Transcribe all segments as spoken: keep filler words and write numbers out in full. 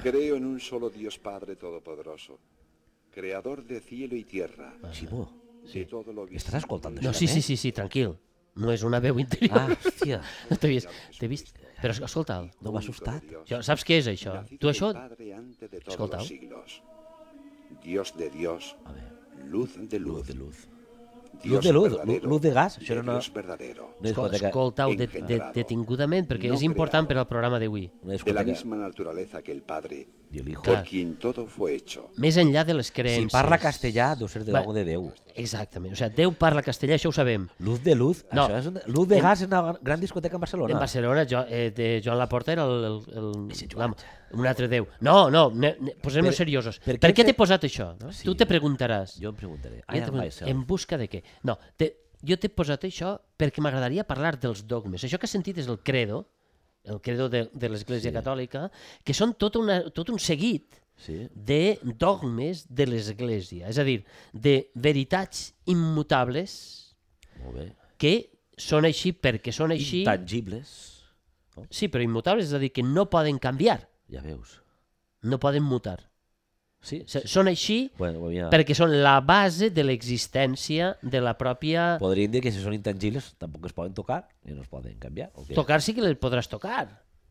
Creo en un solo Dios Padre Todopoderoso, creador de cielo y tierra. Ximo, De todo lo visible. estàs escoltant això? No, sí, sí, sí, sí, tranquil. No és una veu interior. Ah, hòstia. No t'he vist. T'he vist. Però escolta'l. No m'ha assustat. Això, saps què és això? Tu això... Padre antes de todos Escolta. los siglos. Dios de Dios, A ver. luz de luz. Luz de luz. Dios Luz de luz, verdadero, luz de gas. Això de era una, Dios verdadero. una discoteca, Escolta-ho de, de, engendrado, detingudament, perquè no és important per creado. al programa d'avui. una De la discoteca misma naturaleza que el Padre, i el hijo. por Clar. quien todo fue hecho. Més enllà de les Si creences. parla castellà, deu ser de Va- l'algo de Déu. Exactament. O sigui, Déu parla castellà, això ho sabem. Luz de luz. No. Això és una, luz de En- gas és una gran discoteca en Barcelona. En Barcelona, jo, eh, de Joan Laporta era el... el, el Ese Joan. la, un altre Déu. No, no, ne, ne, posem-nos Per- seriosos. per Per, què què hem t'he fet- posat això? No? Sí. Tu te preguntaràs. Jo em preguntaré. Jo I te am pregunto, myself. en busca de què? No, te, jo t'he posat això perquè m'agradaria parlar dels dogmes. Això que has sentit és el credo, el credo de, de l'Església Sí. Catòlica, que són tot, una, tot un seguit Sí. de dogmes de l'Església. És a dir, de veritats immutables Molt bé. que són així perquè són així... Intangibles. Sí, però immutables, és a dir, que no poden canviar, Ja veus. no poden mutar. Sí. O sigui, són així Bueno, ho havia... perquè són la base de l'existència de la pròpia... Podríem dir que si són intangibles tampoc es poden tocar i no es poden canviar. O què? Tocar sí que les podràs tocar,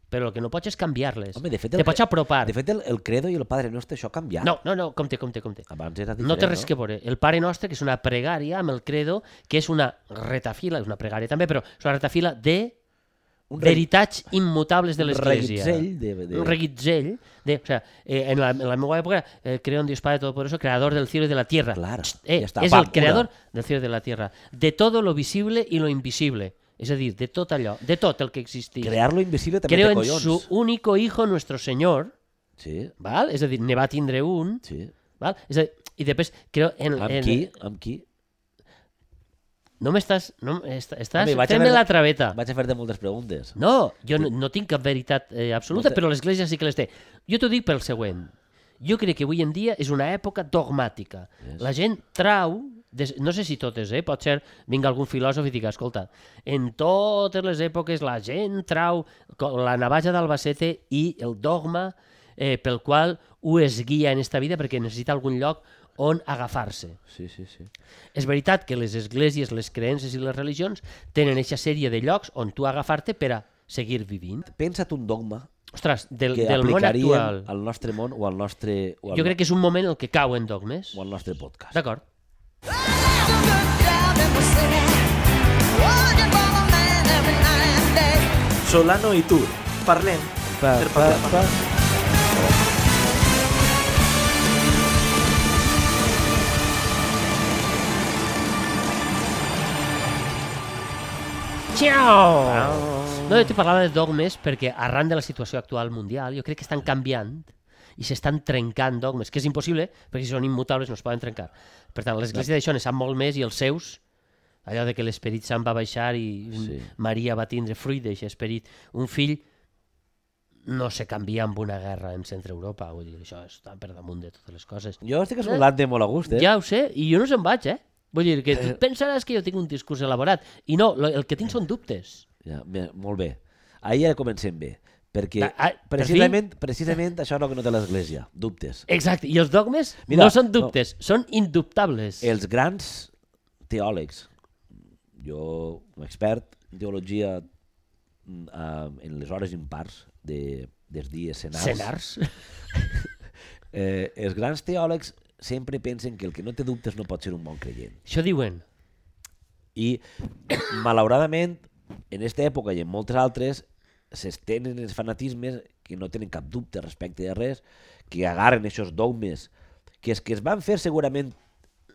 però el que no pots és canviar-les. Home, de fet, Te el, pots apropar. de fet el, el credo i el Padre Nostre, això ha canviat. No, no, no, compte, compte, compte. Abans era diferent, No té res no? que veure. El Pare Nostre, que és una pregària amb el credo, que és una retafila, és una pregària també, però és una retafila de Un re- veritats immutables de un l'Església. reguitzell de- de- Un reguitzell. De, o sea, eh, en, la, en la meva època, eh, creo en Dios Padre Todopoderoso, creador del cielo y de la tierra. Claro, Eh, ya está, és pam, el creador una. del cielo y de la tierra. De todo lo visible y lo invisible. És a dir, de tot allò, de tot el que existia. Crear lo invisible també Creo té en collons. su único hijo, nuestro Señor, Sí, val? És a dir, ne va tindre un, sí. val? És a dir, i després creo en... Amb en qui? Amb qui? No m'estàs... No, est- estàs Home, vaig a fent-me fer- la traveta. Vaig a fer-te moltes preguntes. No, jo no, no tinc cap veritat eh, absoluta, No te- però l'Església sí que les té. Jo t'ho dic pel següent. Jo crec que avui en dia és una època dogmàtica. Yes. La gent trau, des, no sé si totes, eh? Pot ser, vinga algun filòsof i diga, escolta, en totes les èpoques la gent trau co- la navaja d'Albacete i el dogma eh, pel qual ho es guia en esta vida perquè necessita algun lloc on agafar-se. Sí, sí, sí. És veritat que les esglésies, les creences i les religions tenen aquesta sèrie de llocs on tu agafar-te per a seguir vivint. Pensa't un dogma Ostres, del, que del món aplicaríem actual, al nostre món o al nostre, o al, jo crec que és un moment en què cauen dogmes. o al nostre podcast. D'acord. Solano i Tur. Parlem Pa, per pa, parlar. pa. Ciao! No, jo te parlava de dogmes perquè arran de la situació actual mundial jo crec que estan canviant i s'estan trencant dogmes, que és impossible perquè si són immutables no es poden trencar. Per tant, l'Església d'això ne sap molt més i els seus, allò de que l'Esperit Sant va baixar i Sí. Maria va tindre fruit d'aquest esperit. Un fill no se canvia amb una guerra en centre Europa, vull dir, això està per damunt de totes les coses. Jo estic escoltant de molt a gust, eh? Ja ho sé, i jo no se'n vaig, eh? Vull dir, que tu pensaràs que jo tinc un discurs elaborat, i no, lo- el que tinc són dubtes. Ja, bé, molt bé. Ahir ja comencem bé, perquè Ah, ah, per precisament, precisament això és el que no té l'Església, dubtes. Exacte, i els dogmes Mira, no són dubtes, són indubtables. Els grans teòlegs, jo, un expert en teologia mm, eh, en les hores impars de, dels dies senars, Senars. eh, els grans teòlegs sempre pensen que el que no té dubtes no pot ser un bon creient. Això diuen. I, malauradament, en aquesta època i en moltes altres, s'estenen els fanatismes que no tenen cap dubte respecte de res, que agarren aquests dogmes, que els que es van fer segurament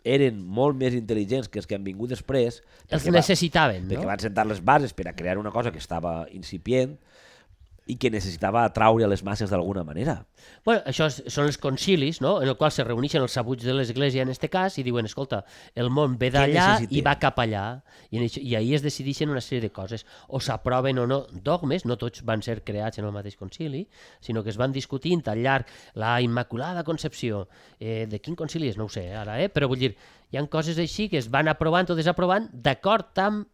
eren molt més intel·ligents que els que han vingut després, Els perquè va- necessitaven, perquè no? van sentar les bases per a crear una cosa que estava incipient i que necessitava atraure a les masses d'alguna manera. Bueno, això és, són els concilis, no? En el qual se reuneixen els sabuts de l'Església en este cas i diuen, escolta, el món ve d'allà necessitem? i va cap allà. I, en això, I ahir es decideixen una sèrie de coses. O s'aproven o no dogmes, no tots van ser creats en el mateix concili, sinó que es van discutint al llarg la Immaculada Concepció. Eh, de quin concili és? No ho sé ara, eh? Però vull dir, hi ha coses així que es van aprovant o desaprovant d'acord amb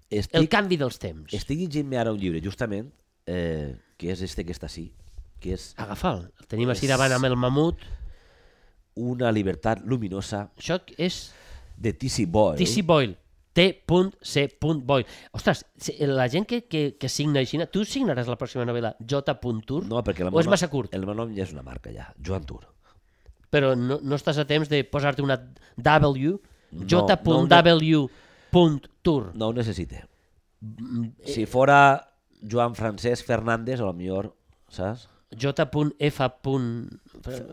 Estic, el canvi dels temps. estic llegint-me ara un llibre, justament, eh, que és este que està així, que és Agafa'l. El tenim així És- davant amb el mamut. Una llibertat luminosa Això és de T C Boyle. T C Boyle. T C Boyle. Ostres, si- la gent que, que, que signa així, tu signaràs la pròxima novel·la J. Tour? No, perquè el o meu és nom- massa curt? El meu nom ja és una marca, ja. Joan Tour. Però no, no estàs a temps de posar-te una W, No, J. no, W. Tour. No ho necessite. Si fora Joan Francesc Fernández, a lo millor, saps? J. F.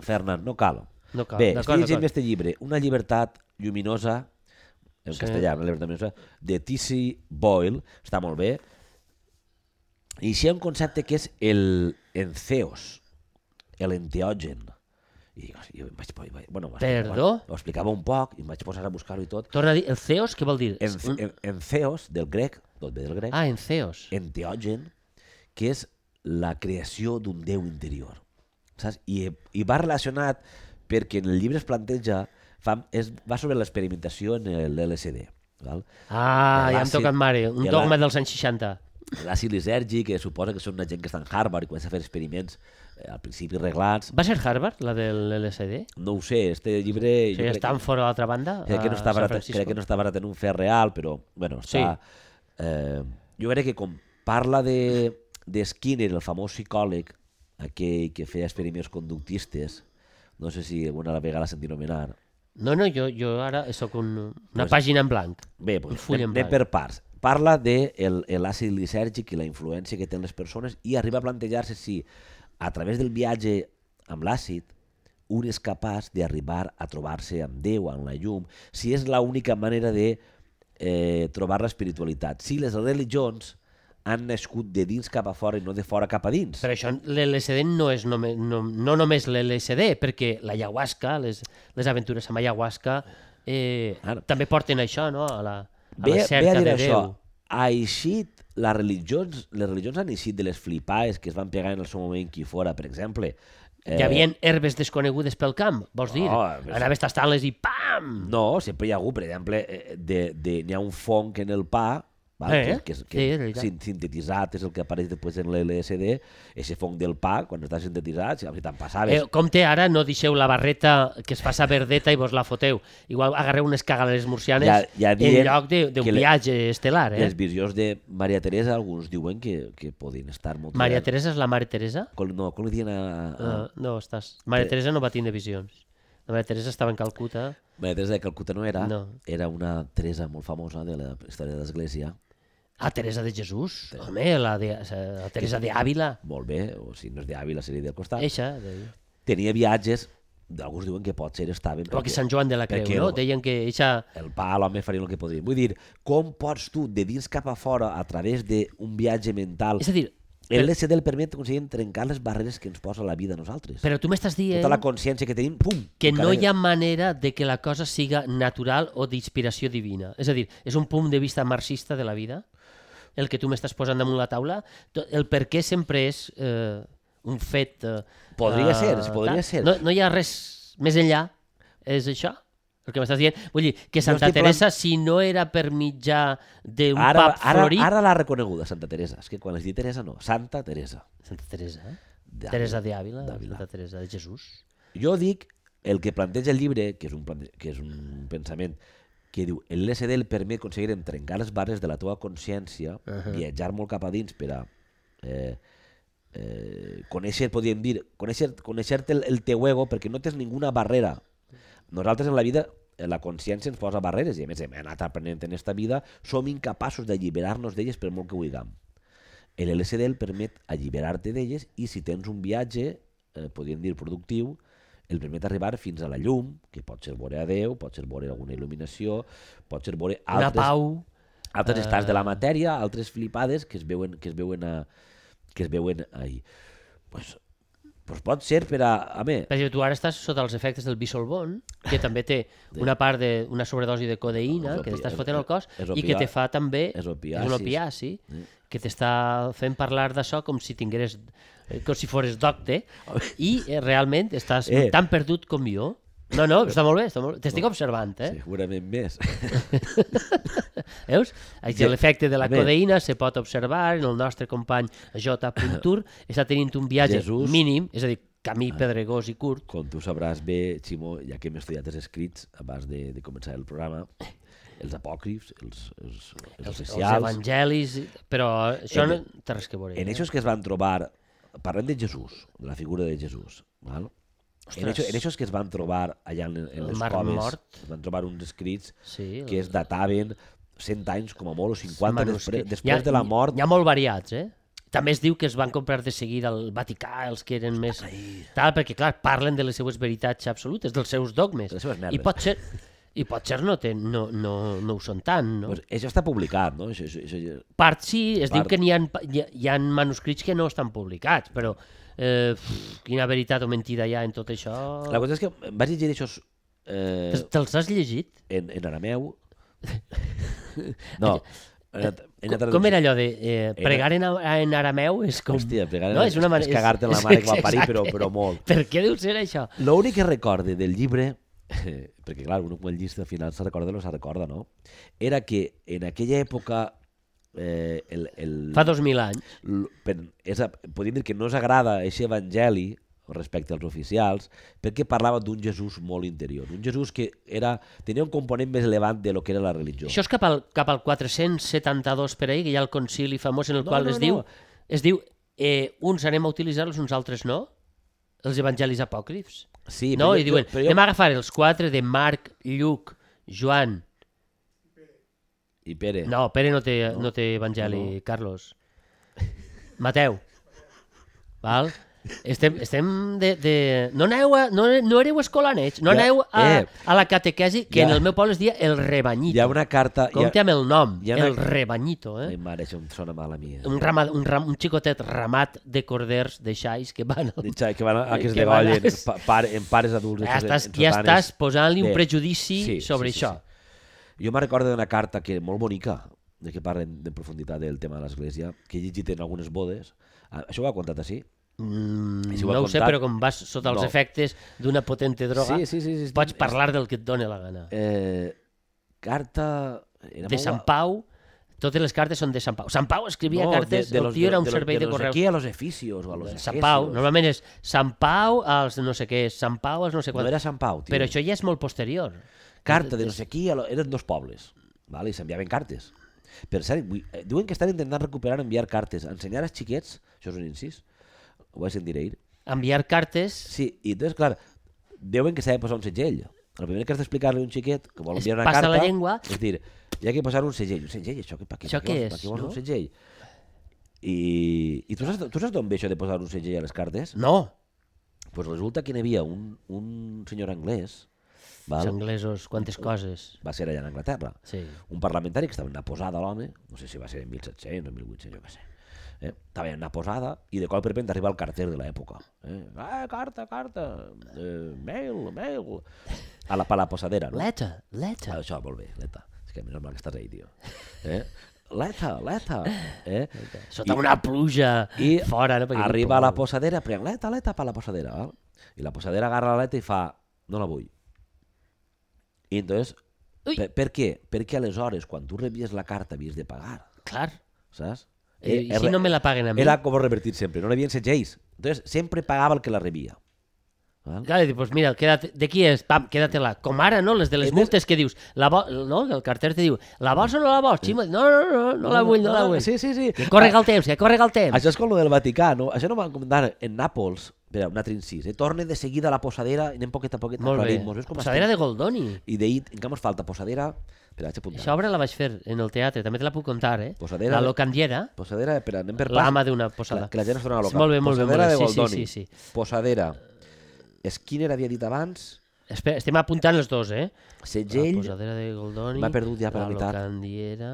Fernand, no cal. No cal. Bé, D'acord, estic llegint d'acord. este llibre, Una llibertat lluminosa, en Sí. castellà, una llibertat lluminosa, de T C Boyle, està molt bé, i així hi ha un concepte que és el entheos, l'enteògen. I jo em vaig, vaig, bueno, m'ho explicava- Perdó? Ho explicava un poc i em vaig posar a buscar-ho i tot. Torna a dir, el Theos, què vol dir? En, Un- en, entheos, del grec, tot ve del grec, Ah, en Theos. enteògen, que és la creació d'un déu interior. Saps? I, I va relacionat perquè en el llibre es planteja, fa, és, va sobre l'experimentació en l'L S D. Val? Ah, ja hem L'àcid- tocat mare. Un i dogma la- dels anys seixanta. L'àcid lisèrgic, que suposa que són una gent que està en Harvard i comença a fer experiments eh, al principi reglats. Va ser Harvard, la del L S D? No ho sé, este llibre... O sigui, Stanford a l'altra banda? Crec que, no a està San barat, Francisco? crec que no està barat en un fer real, però bueno, està... Eh, jo crec que com parla de, de Skinner, el famós psicòleg, aquell que feia experiments conductistes, no sé si alguna vegada l'ha sentit nomenar. No, no, jo, jo ara sóc un, una Pues- pàgina en blanc. Bé, Un doncs, full en anem, anem blanc. per parts. Parla de el, l'àcid lisèrgic i la influència que tenen les persones i arriba a plantejar-se si a través del viatge amb l'àcid un és capaç d'arribar a trobar-se amb Déu, amb la llum, si és l'única manera de eh, trobar l'espiritualitat. Si les religions han nascut de dins cap a fora i no de fora cap a dins. Per això l'L S D no és només, no, no només l'L S D, perquè l'ayahuasca, les, les aventures amb ayahuasca, eh, Ara. també porten això, no?, a la, a Ve, la ve a cerca dir de això, Déu. ha eixit, les religions, les religions han eixit de les flipades que es van pegar en el seu moment aquí fora, per exemple. Hi havia herbes desconegudes pel camp, vols dir? No, però- Anaves tastant-les i pam! No, sempre hi ha hagut, per exemple, eh, de, de, n'hi ha un fong en el pa, val? Eh, que, que, és- sí, que és veritat. sin- sintetitzat és el que apareix després en l'L S D, ese fong del pa, quan està sintetitzat, si te'n passaves. Eh, compte, ara no deixeu la barreta que es faça verdeta i vos la foteu. Igual agarreu unes cagales murcianes Ja- ja en dient lloc de- d'un que le- viatge estel·lar, eh? Les visions de Maria Teresa, alguns diuen que, que podien estar molt... Maria Teresa és la Mare Teresa? Com, no, com li diuen a... a... Uh, no, estàs... Maria Eh. Teresa no va tindre visions. La Maria Teresa estava en Calcuta. Maria Teresa de Calcuta no era, No. era una Teresa molt famosa de la història de l'Església. Ah, Teresa de Jesús. Home, la, de, la Teresa de Ávila. Molt bé, o si no és d'Àvila seria del costat. Eixa. De... Tenia viatges, alguns diuen que potser estaven... O que Sant Joan de la Creu, perquè no? el- Deien que eixa... el pa, l'home faria el que podria. Vull dir, com pots tu, de dins cap a fora, a través d'un viatge mental... És a dir, El per- L S D el permet aconseguir trencar les barreres que ens posa la vida a nosaltres. però tu m'estàs dient Tota la consciència que tenim, pum! que no encara- hi ha manera de que la cosa siga natural o d'inspiració divina. És a dir, és un punt de vista marxista de la vida, el que tu m'estàs posant damunt la taula. To- El per què sempre és eh, un fet... Eh, Podria eh, ser, sí, podria tal. ser. No, no hi ha res més enllà, és això? El que m'estàs dient? Vull dir, que Jo Santa estic Teresa, si no era per mitjà d'un Ara, pap ara, florit... ara l'ha reconeguda, Santa Teresa. És que quan es diu Teresa, no. Santa Teresa. Santa Teresa, eh? D'Àvila. Teresa de Ávila, D'Àvila. Santa Teresa de Jesús. Jo dic, el que planteja el llibre, que és un, plante... que és un pensament, que diu, el L S D el permet aconseguir trencar les barres de la teva consciència, uh -huh. viatjar molt cap a dins per a eh, eh, conèixer, podríem dir, conèixer, conèixer-te el, el teu ego, perquè no tens ninguna barrera. Nosaltres en la vida, eh, la consciència ens posa barreres, i a més hem anat aprenent en esta vida, som incapaços d'alliberar-nos d'elles per molt que vulguem. El L S D el permet alliberar-te d'elles i si tens un viatge, eh, podríem dir productiu, el permet arribar fins a la llum, que pot ser veure a Déu, pot ser veure alguna il·luminació, pot ser veure Una altres, pau... altres eh, estats de la matèria, altres flipades que es veuen, que es veuen, a, que es veuen ahí. Pues, pues pot ser per a... A mi, Per exemple, tu ara estàs sota els efectes del bisolbon, que també té una part d'una sobredosi de codeïna És que opi- t'estàs és- fotent al cos és i que opia- te fa també... és opiacis. És un opiaci, que t'està fent parlar d'això com si tingueres... eh, com si fores docte i eh, realment estàs Eh. tan perdut com jo. No, no, està molt bé, està molt bé. T'estic observant, eh? Segurament més. Veus? Aquí Ja- l'efecte de la a veure. codeïna se pot observar en el nostre company J. Tur està tenint un viatge Jesús. mínim, és a dir, camí pedregós i curt. Com tu sabràs bé, Ximo, ja que hem estudiat els escrits abans de, de començar el programa, els apòcrifs, els, els, els, Els, els oficials... evangelis, però això En- no té res que veure. En eh? aquests que es van trobar, parlem de Jesús, de la figura de Jesús, val? En Ostres. aquests, en aquests que es van trobar allà en, en El les Mar coves, Mort. es van trobar uns escrits Sí, que es dataven cent anys com a molt, o cinquanta després, manuscrits. després de la mort. N'hi ha molt variats, eh? També es diu que es van comprar de seguida al Vaticà, els que eren més... Tal, perquè, clar, parlen de les seues veritats absolutes, dels seus dogmes. De les seves merdes. I pot ser, i pot ser no, ten, no, no, no ho són tant, no? Pues això està publicat, no? Això, això, això, Part sí, es Part. diu que n'hi ha, hi, ha, hi ha manuscrits que no estan publicats, però eh, pff, quina veritat o mentida hi ha en tot això... La cosa és que em vaig llegir això eh, Te- Te'ls has llegit? en, en arameu. No, en, en Com, com era allò de eh, pregar en, en arameu? És com... Hòstia, pregar no, en- és, una manera, és cagarte en la mare que va parir, però, exacte. però molt. Per què deu ser això? L'únic que recorde del llibre, perquè clar, un quan el llista al final se recorda no se recorda, no? Era que en aquella època eh, el, el, Fa dos mil anys. l- per, és, a- podríem dir que no s'agrada aquest evangeli respecte als oficials, perquè parlava d'un Jesús molt interior, un Jesús que era, tenia un component més elevant de lo que era la religió. Això és cap al, cap al quatre-cents setanta-dos per ahí, que hi ha el concili famós en el No, qual no, es no. diu, es diu eh, uns anem a utilitzar-los, uns altres no, els evangelis apòcrifs. Sí, No? però I jo- diuen, però jo- anem a agafar els quatre de Marc, Lluc, Joan... I Pere. No, Pere no té, no té evangeli, No, no. Carlos. Mateu. Val? Estem, estem de, de... No, aneu a, no, no éreu escolanets, no Ja, aneu a, eh. a la catequesi, que Ja. en el meu poble es dia el rebanyito. Hi ha una carta... hi ha- Compte amb el nom, hi ha una- el rebanyito. Eh? Ai, mare, això em sona mal a mi. Eh? Un, ramat, un, ram, un xicotet ramat de corders de xais que van... Al... Ditxa, que van a, a que es Que van a- degollen pa, pare, en pares adults. Ja en- estàs, en ja sotanes. estàs posant-li un Bé, prejudici sí, sobre sí, sí, això. sí. Jo me'n recordo d'una carta que molt bonica, de que parlen de profunditat del tema de l'església, que he llegit en algunes bodes. Ah, això ho ha contat així? Mm, I si ho ha no ho sé, contat- però com vas sota els No. efectes d'una potente droga, Sí, sí, sí, sí, pots estic- parlar del que et doni la gana. Eh, carta... Era De molt- Sant Pau, totes les cartes són de Sant Pau. Sant Pau escrivia No, cartes, de, de el los, tio era un de, los- servei de, de los correus. aquí a los eficios o a los Sant Pau, efesios. normalment és Sant Pau als no sé què, Sant Pau als no sé No quant. era Sant Pau, tio. Però això ja és molt posterior. Carta de no sé qui, a lo- eren dos pobles, vale? I s'enviaven cartes. Per cert, vull- eh, diuen que estan intentant recuperar enviar cartes, ensenyar als xiquets, això és un incís, ho vaig sentir ahir. Enviar cartes Sí, i entonces, clar, deuen que s'ha de posar un segell. El primer que has d'explicar-li a un xiquet que vol Es enviar una passa carta... la llengua. És dir, hi ha que posar un segell. Un segell, això, que, per què, Això per què què vols, per és, què vols no? un segell? I, i tu, saps, tu saps d'on ve això de posar un segell a les cartes? no. Pues resulta que n'hi havia un, un senyor anglès, Els val? anglesos, quantes coses. Va ser allà en Anglaterra. Sí. Un parlamentari que estava en una posada, l'home, no sé si va ser en mil set-cents o mil vuit-cents, jo què sé. Eh? Estava en una posada i de cop per repente arriba el carter de l'època. Eh? Ah, carta, carta, eh, mail, mail. A la, a la posadera, no? Letter, letter. Ah, això, molt bé, leta. És que menys mal que estàs ahí, tio. Eh? Leta, leta. Eh? Sota una pluja I fora, no? Perquè arriba a la posadera, pren leta, leta per la posadera. Val? I la posadera agarra la leta i fa, no la vull. I entonces, Ui. per, per què? Perquè aleshores, quan tu rebies la carta, havies de pagar, Clar. saps? I, Eh, si no me la paguen a mi? Era com revertir sempre, no n'havien segells. Entonces, sempre pagava el que la rebia. Val? Clar, i dius, pues mira, quédate, de qui és? Pam, quédatela. Com ara, no? Les de les Entonces- multes que dius, la vo... no? El carter te diu, la vols o no la vols? Ximo, no, no, no, no la vull, no la vull. Sí, sí, sí. Que correga el temps, que correga el temps. Això és com lo del Vaticà, no? Això no m'han comentat en Nàpols. Espera, un altre incís. Eh? Torne de seguida a la posadera i anem poquet a poquet Molt bé. aclarim-nos. Veus com Posadera estem? de Goldoni. I d'ahir, encara ens falta posadera... Espera, vaig apuntar. Aquesta obra la vaig fer en el teatre, també te la puc contar, eh? Posadera La de- locandiera, Posadera, espera, anem per pas. l'ama d'una Que la, posada. que la gent es dona local. Molt bé, molt bé, Posadera molt bé. de Sí, sí, Goldoni. sí, sí. Posadera. Skinner havia dit abans. Espera, estem apuntant els dos, eh? Segell. La posadera de Goldoni. M'ha perdut ja per la la meitat. locandiera.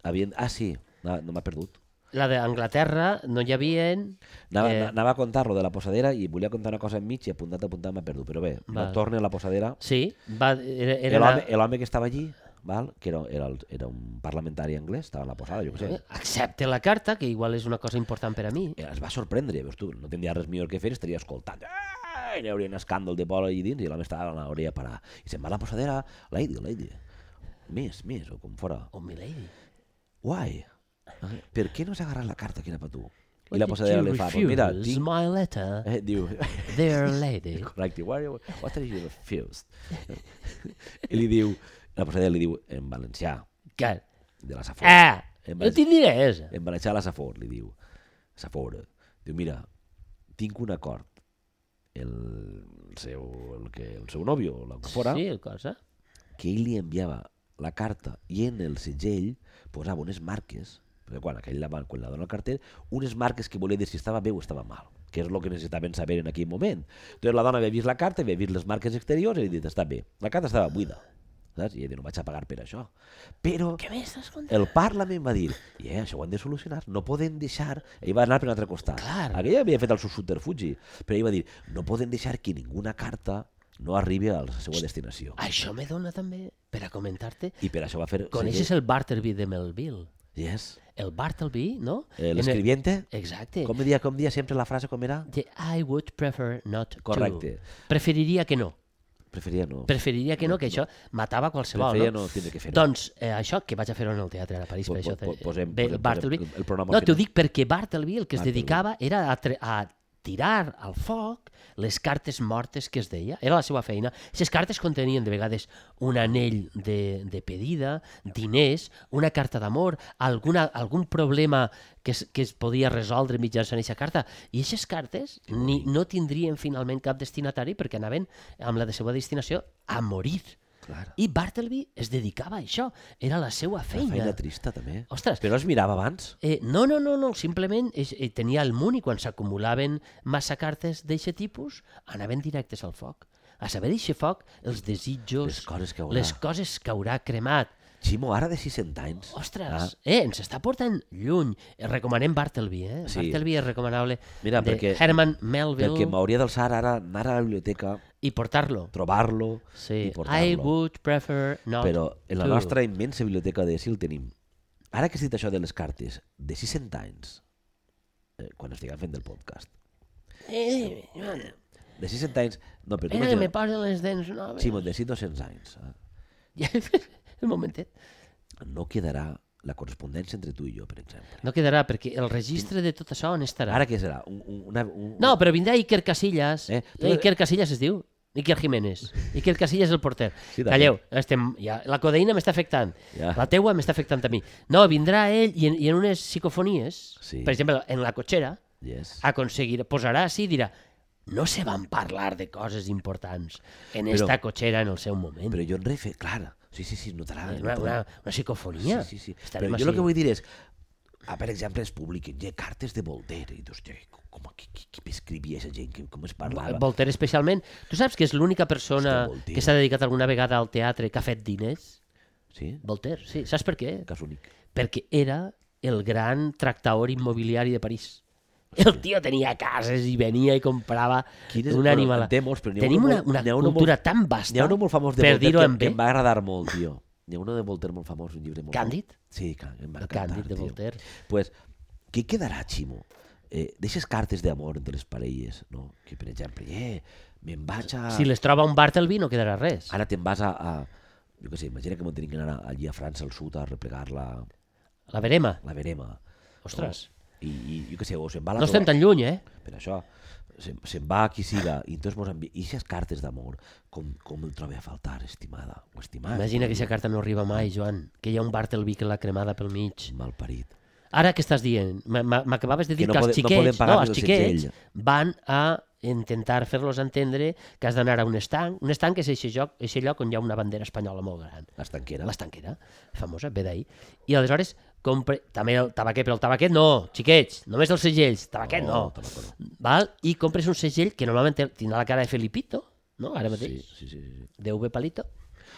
Havien... Ah, sí. No, no m'ha perdut. La d'Anglaterra no hi havia... Anava, Eh. anava a contar-lo de la posadera i volia contar una cosa enmig i apuntat, apuntat, m'ha perdut. Però bé, no Val. torne a la posadera. Sí, va, era, era L'home la... l'home que estava allí, val? Que era, era, el, era un parlamentari anglès, estava a la posada, jo què sé. Accepte la carta, que igual és una cosa important per a mi. Eh, Es va sorprendre, veus tu, no tindria res millor que fer, estaria escoltant. Eh, i hi hauria un escàndol de bola allà dins i l'home estava a l'hauria parar. I se'n va a la posadera, lady, lady, més, més, o com fora. Oh, my lady. Why? Per què no has agarrat la carta que era per tu? I What la did posadera you li fa, pues mira, refuse tinc... my letter, Eh, diu... dear lady? Correcte, what, what are you refused? I li diu, la posadera li diu en valencià, Que? de la Safor. Ah, En no valencià, tinc diners. en valencià la Safor, li diu. Safor, diu, mira, tinc un acord. El seu, el que, el seu nòvio, el que fora, Sí, el cosa. que ell li enviava la carta i en el segell posava unes marques, perquè quan aquell la, quan la dona al carter, unes marques que volia dir si estava bé o estava mal, que és el que necessitaven saber en aquell moment. Entonces la dona havia vist la carta, havia vist les marques exteriors i li dit, està bé. La carta estava buida, saps? I ell no vaig a pagar per això. Però Què m'estàs contant? el Parlament va dir, i eh, això ho han de solucionar, no poden deixar... Ell va anar per un altre costat. Clar. Aquell havia fet el seu subterfugi, però ell va dir, no poden deixar que ninguna carta no arribi a la seva destinació. Això me dona també per a comentar-te. I per això va fer... Coneixes el Bartleby de Melville? Yes. El Bartleby, no? Eh, En L'escribiente, Exacte. com dia, com dia sempre la frase com era? De I would prefer not Correcte. to. Preferiria que no. Preferia no. Preferiria que no, que això matava qualsevol. Preferia no? no tindre que fer. Doncs eh, això que vaig a fer en el teatre a París, Po- per això po- po- te- posem- ve posem- Bartleby. posem el- el programa al No, t'ho final. dic perquè Bartleby el que es Bartleby. dedicava era a, tre- a tirar al foc les cartes mortes que es deia. Era la seva feina. Les cartes contenien de vegades un anell de, de pedida, diners, una carta d'amor, alguna, algun problema que es, que es podia resoldre mitjançant aquesta carta. I aquestes cartes ni, no tindrien finalment cap destinatari perquè anaven amb la de seva destinació a morir. Clar. I Bartleby es dedicava a això. Era la seva Una feina. feina trista, també. Ostres, Però es mirava abans. Eh, no, no, no, no, simplement és, eh, tenia el munt i quan s'acumulaven massa cartes d'aquest tipus anaven directes al foc. A saber d'aquest foc, els desitjos, Les coses que haurà. les coses que haurà cremat. Ximo, ara de sis-cents anys. Ostres, Ah, eh, ens està portant lluny. Eh, recomanem Bartleby, eh? Sí. Bartleby és recomanable. Mira, de perquè- Herman Melville Perquè m'hauria d'alçar ara, anar a la biblioteca, i portar-lo. trobar-lo Sí. i portar-lo. I would prefer not Però en la to. nostra immensa biblioteca de Sil tenim, ara que has dit això de les cartes, de sis-cents anys, eh, quan estiguem fent el podcast, Eh, de sis-cents anys, no, però tu eh, me imagina't, posen les dents noves. Ximo, de sis-cents anys, eh, Ja, un momentet. no quedarà la correspondència entre tu i jo, per exemple. No quedarà, perquè el registre de tot això on estarà? Ara què serà? Un, un, una, un, No, però vindrà Iker Casillas. Eh, Eh, tu- Iker Casillas es diu? Iker Jiménez. Iker Casillas el porter. Sí, també. Calleu, estem, ja, la codeïna m'està afectant. Ja. La teua m'està afectant a mi. No, vindrà ell i en, i en unes psicofonies, Sí. per exemple, en la cotxera, Yes. aconseguirà, posarà així i dirà no se van parlar de coses importants en Però- esta cotxera en el seu moment. Però jo en refe, clar, sí, sí, sí, notarà. una, notarà. una, una psicofonia. Sí, sí, sí. Estarem Però jo així. el que vull dir és, ah, per exemple, es publiquen ja, cartes de Voltaire, i tu, hòstia, com, qui, qui, qui escrivia aquesta gent, que, com es parlava? Voltaire especialment. Tu saps que és l'única persona Hòstia, Voltaire. que s'ha dedicat alguna vegada al teatre que ha fet diners? Sí? Voltaire, sí. Saps per què? Cas únic. Perquè era el gran tractador immobiliari de París. El tio tenia cases i venia i comprava Quin és- un bueno, animal. en té molts, però n'hi ha Tenim uno una, molt- una n'hi ha uno cultura molt- tan vasta, N'hi ha un molt famós de per Voltaire dir-ho que, en que bé. em va agradar molt, tio. N'hi ha uno de Voltaire molt famós, un llibre molt Càndid? famós. Sí, Can- em va El encantar, Càndid de tio. Voltaire. Pues, què quedarà, Ximo? Eh, Deixes cartes d'amor entre les parelles, no? Que, per exemple, eh, me'n vaig a... Si les troba un Bartleby no quedarà res. Ara te'n vas a, a... Jo què sé, imagina que m'ho tenim que anar allí a França al sud a replegar la, La verema. la verema. Ostres. No? I, i jo què sé, o se'n va a la No estem troba- tan lluny, eh? Per això, se'n se va a qui siga, i entonces mos envia... I aquestes cartes d'amor, com, com el trobe a faltar, estimada o estimat? Imagina que aquesta carta no arriba mai, Joan. Que hi ha un Bartleby que l'ha cremada pel mig. Malparit. Ara què estàs dient? M- m- M'acabaves de dir Que que, no els pode- no xiquets, poden pagar no, el els xiquets segell. van a intentar fer-los entendre que has d'anar a un estanc. Un estanc és aquest lloc, aquest lloc on hi ha una bandera espanyola molt gran. Estanquera. L'estanquera, famosa, ve d'ahir. I aleshores, compre... també el tabaquet, però el tabaquet no, xiquets, només els segells, tabaquet no. tabaco no. Val? I compres un segell que normalment té- tindrà la cara de Felipito, no? Ara Sí, mateix, sí, sí, sí. de V Palito.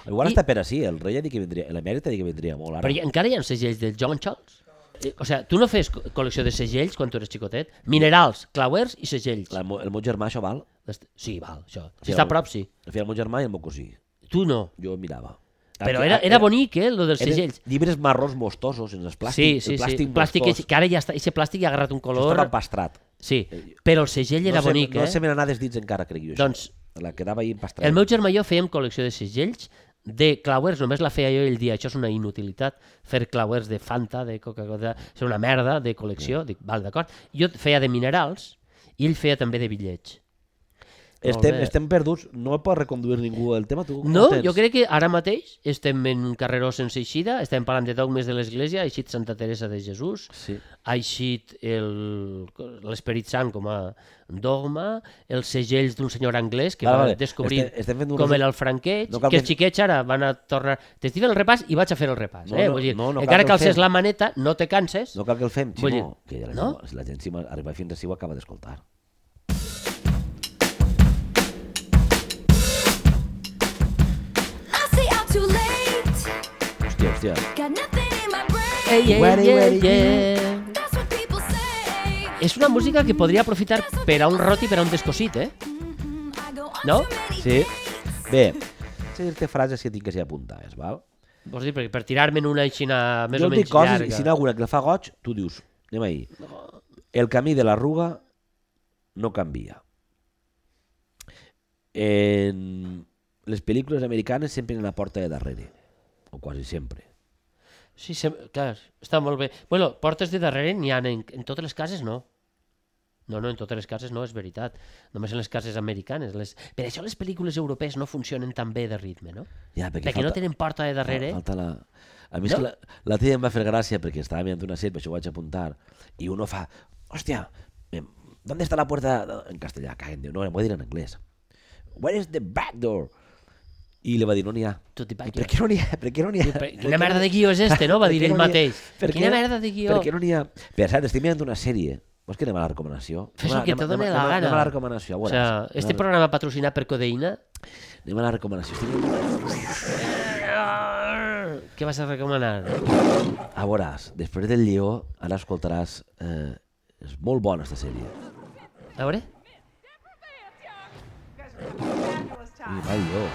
Igual I- està per així, el rei ha dit que vindria, l'emèrit ha dit que vindria molt ara. Però hi, encara hi ha segells del John Charles. Eh, O sigui, tu no fes co- col·lecció de segells quan tu eres xicotet? Minerals, clauers i segells. La, el meu germà això val? Est- Sí, val, això. Sí, Si està a el- prop, sí. El feia el meu germà i el meu cosí. Tu no. Jo mirava. Però Aquí- era, era bonic, eh, lo dels eren segells. llibres marrons mostosos, en els plàstics. Sí, sí, el sí. plàstic Plàstic, mostós. que, que ara ja està, aquest plàstic ja ha agarrat un Això color... estava empastrat. Sí, però el segell era no se, bonic, no eh? se me n'anà dels dits encara, crec jo, Doncs, això. La quedava ahí empastrat. el meu germà i jo fèiem col·lecció de segells de clauers, només la feia jo i ell dia, això és una inutilitat, fer clauers de Fanta, de Coca-Cola, és una merda de col·lecció, dic, val, d'acord. Jo feia de minerals i ell feia també de bitllets. Estem, Molt bé. estem perduts, no pot reconduir ningú el tema, tu? com No, tens? jo crec que ara mateix estem en un carreró sense eixida, estem parlant de dogmes de l'Església, ha eixit Santa Teresa de Jesús, Sí. ha eixit el- l'Esperit Sant com a dogma, els segells d'un senyor anglès que Vale, va vale. descobrir Estem- estem fent un com resum- era el franqueig, No cal que els que- xiquets ara van a tornar... T'estic fent el repàs i vaig a fer el repàs. No, eh? no, Vull dir, no, no cal encara que que el alces fem. la maneta, no te canses. No cal que el fem, Vull Ximo, dir, que la, no? si la gent si arriba fins així ho acaba d'escoltar. I say I'm too late. Hòstia, hòstia. Got nothing in my brain. Ei, ei, Ready, ei, ready, ei. That's what people say. És una música que podria aprofitar per a un rot i per a un descosit, eh? Mm, I go on No? too many Sí. Bé, sé dir-te frases que tinc que ser apuntades, val? Vols dir, perquè per tirar-me en una aixina més jo o et menys dic coses llarga. i si n'hi ha alguna que la fa goig, tu dius, anem ahí. El camí de l'arruga no canvia. En les pel·lícules americanes sempre en la porta de darrere, o quasi sempre. Sí, sem... clar, està molt bé. Bueno, portes de darrere n'hi ha, en, en totes les cases no. No, no, en totes les cases no, és veritat. Només en les cases americanes. Les... Per això les pel·lícules europees no funcionen tan bé de ritme, no? Ja, perquè, Perquè no tenen porta de darrere. Falta la... A mi és No? que la, la tia em va fer gràcia perquè estava mirant una sèrie, per això ho vaig apuntar, i uno fa, hòstia, em, ¿dónde está la puerta? En castellà, caguen, no, em voy a dir en anglès. Where is the back door? I li va dir, no n'hi ha. Tot i I per què no n'hi ha? Per què no n'hi ha? Per- Quina merda de guió és este, no? Va Per dir què ell no n'hi ha? mateix. Per Quina què- merda de guió. Per què no n'hi ha? Per cert, estic mirant una sèrie. Vols que anem a la recomanació? Fes Anem a- el que anem a- te doni anem a- la anem a- gana. Anem a la recomanació, a O veuràs. sea, este Anem a- programa patrocinat per Codeïna. Anem a la recomanació. Estic mirant... Què vas a recomanar? A veuràs, després del lleó, ara escoltaràs... Eh, és molt bona, aquesta sèrie. A veure? I va el lleó.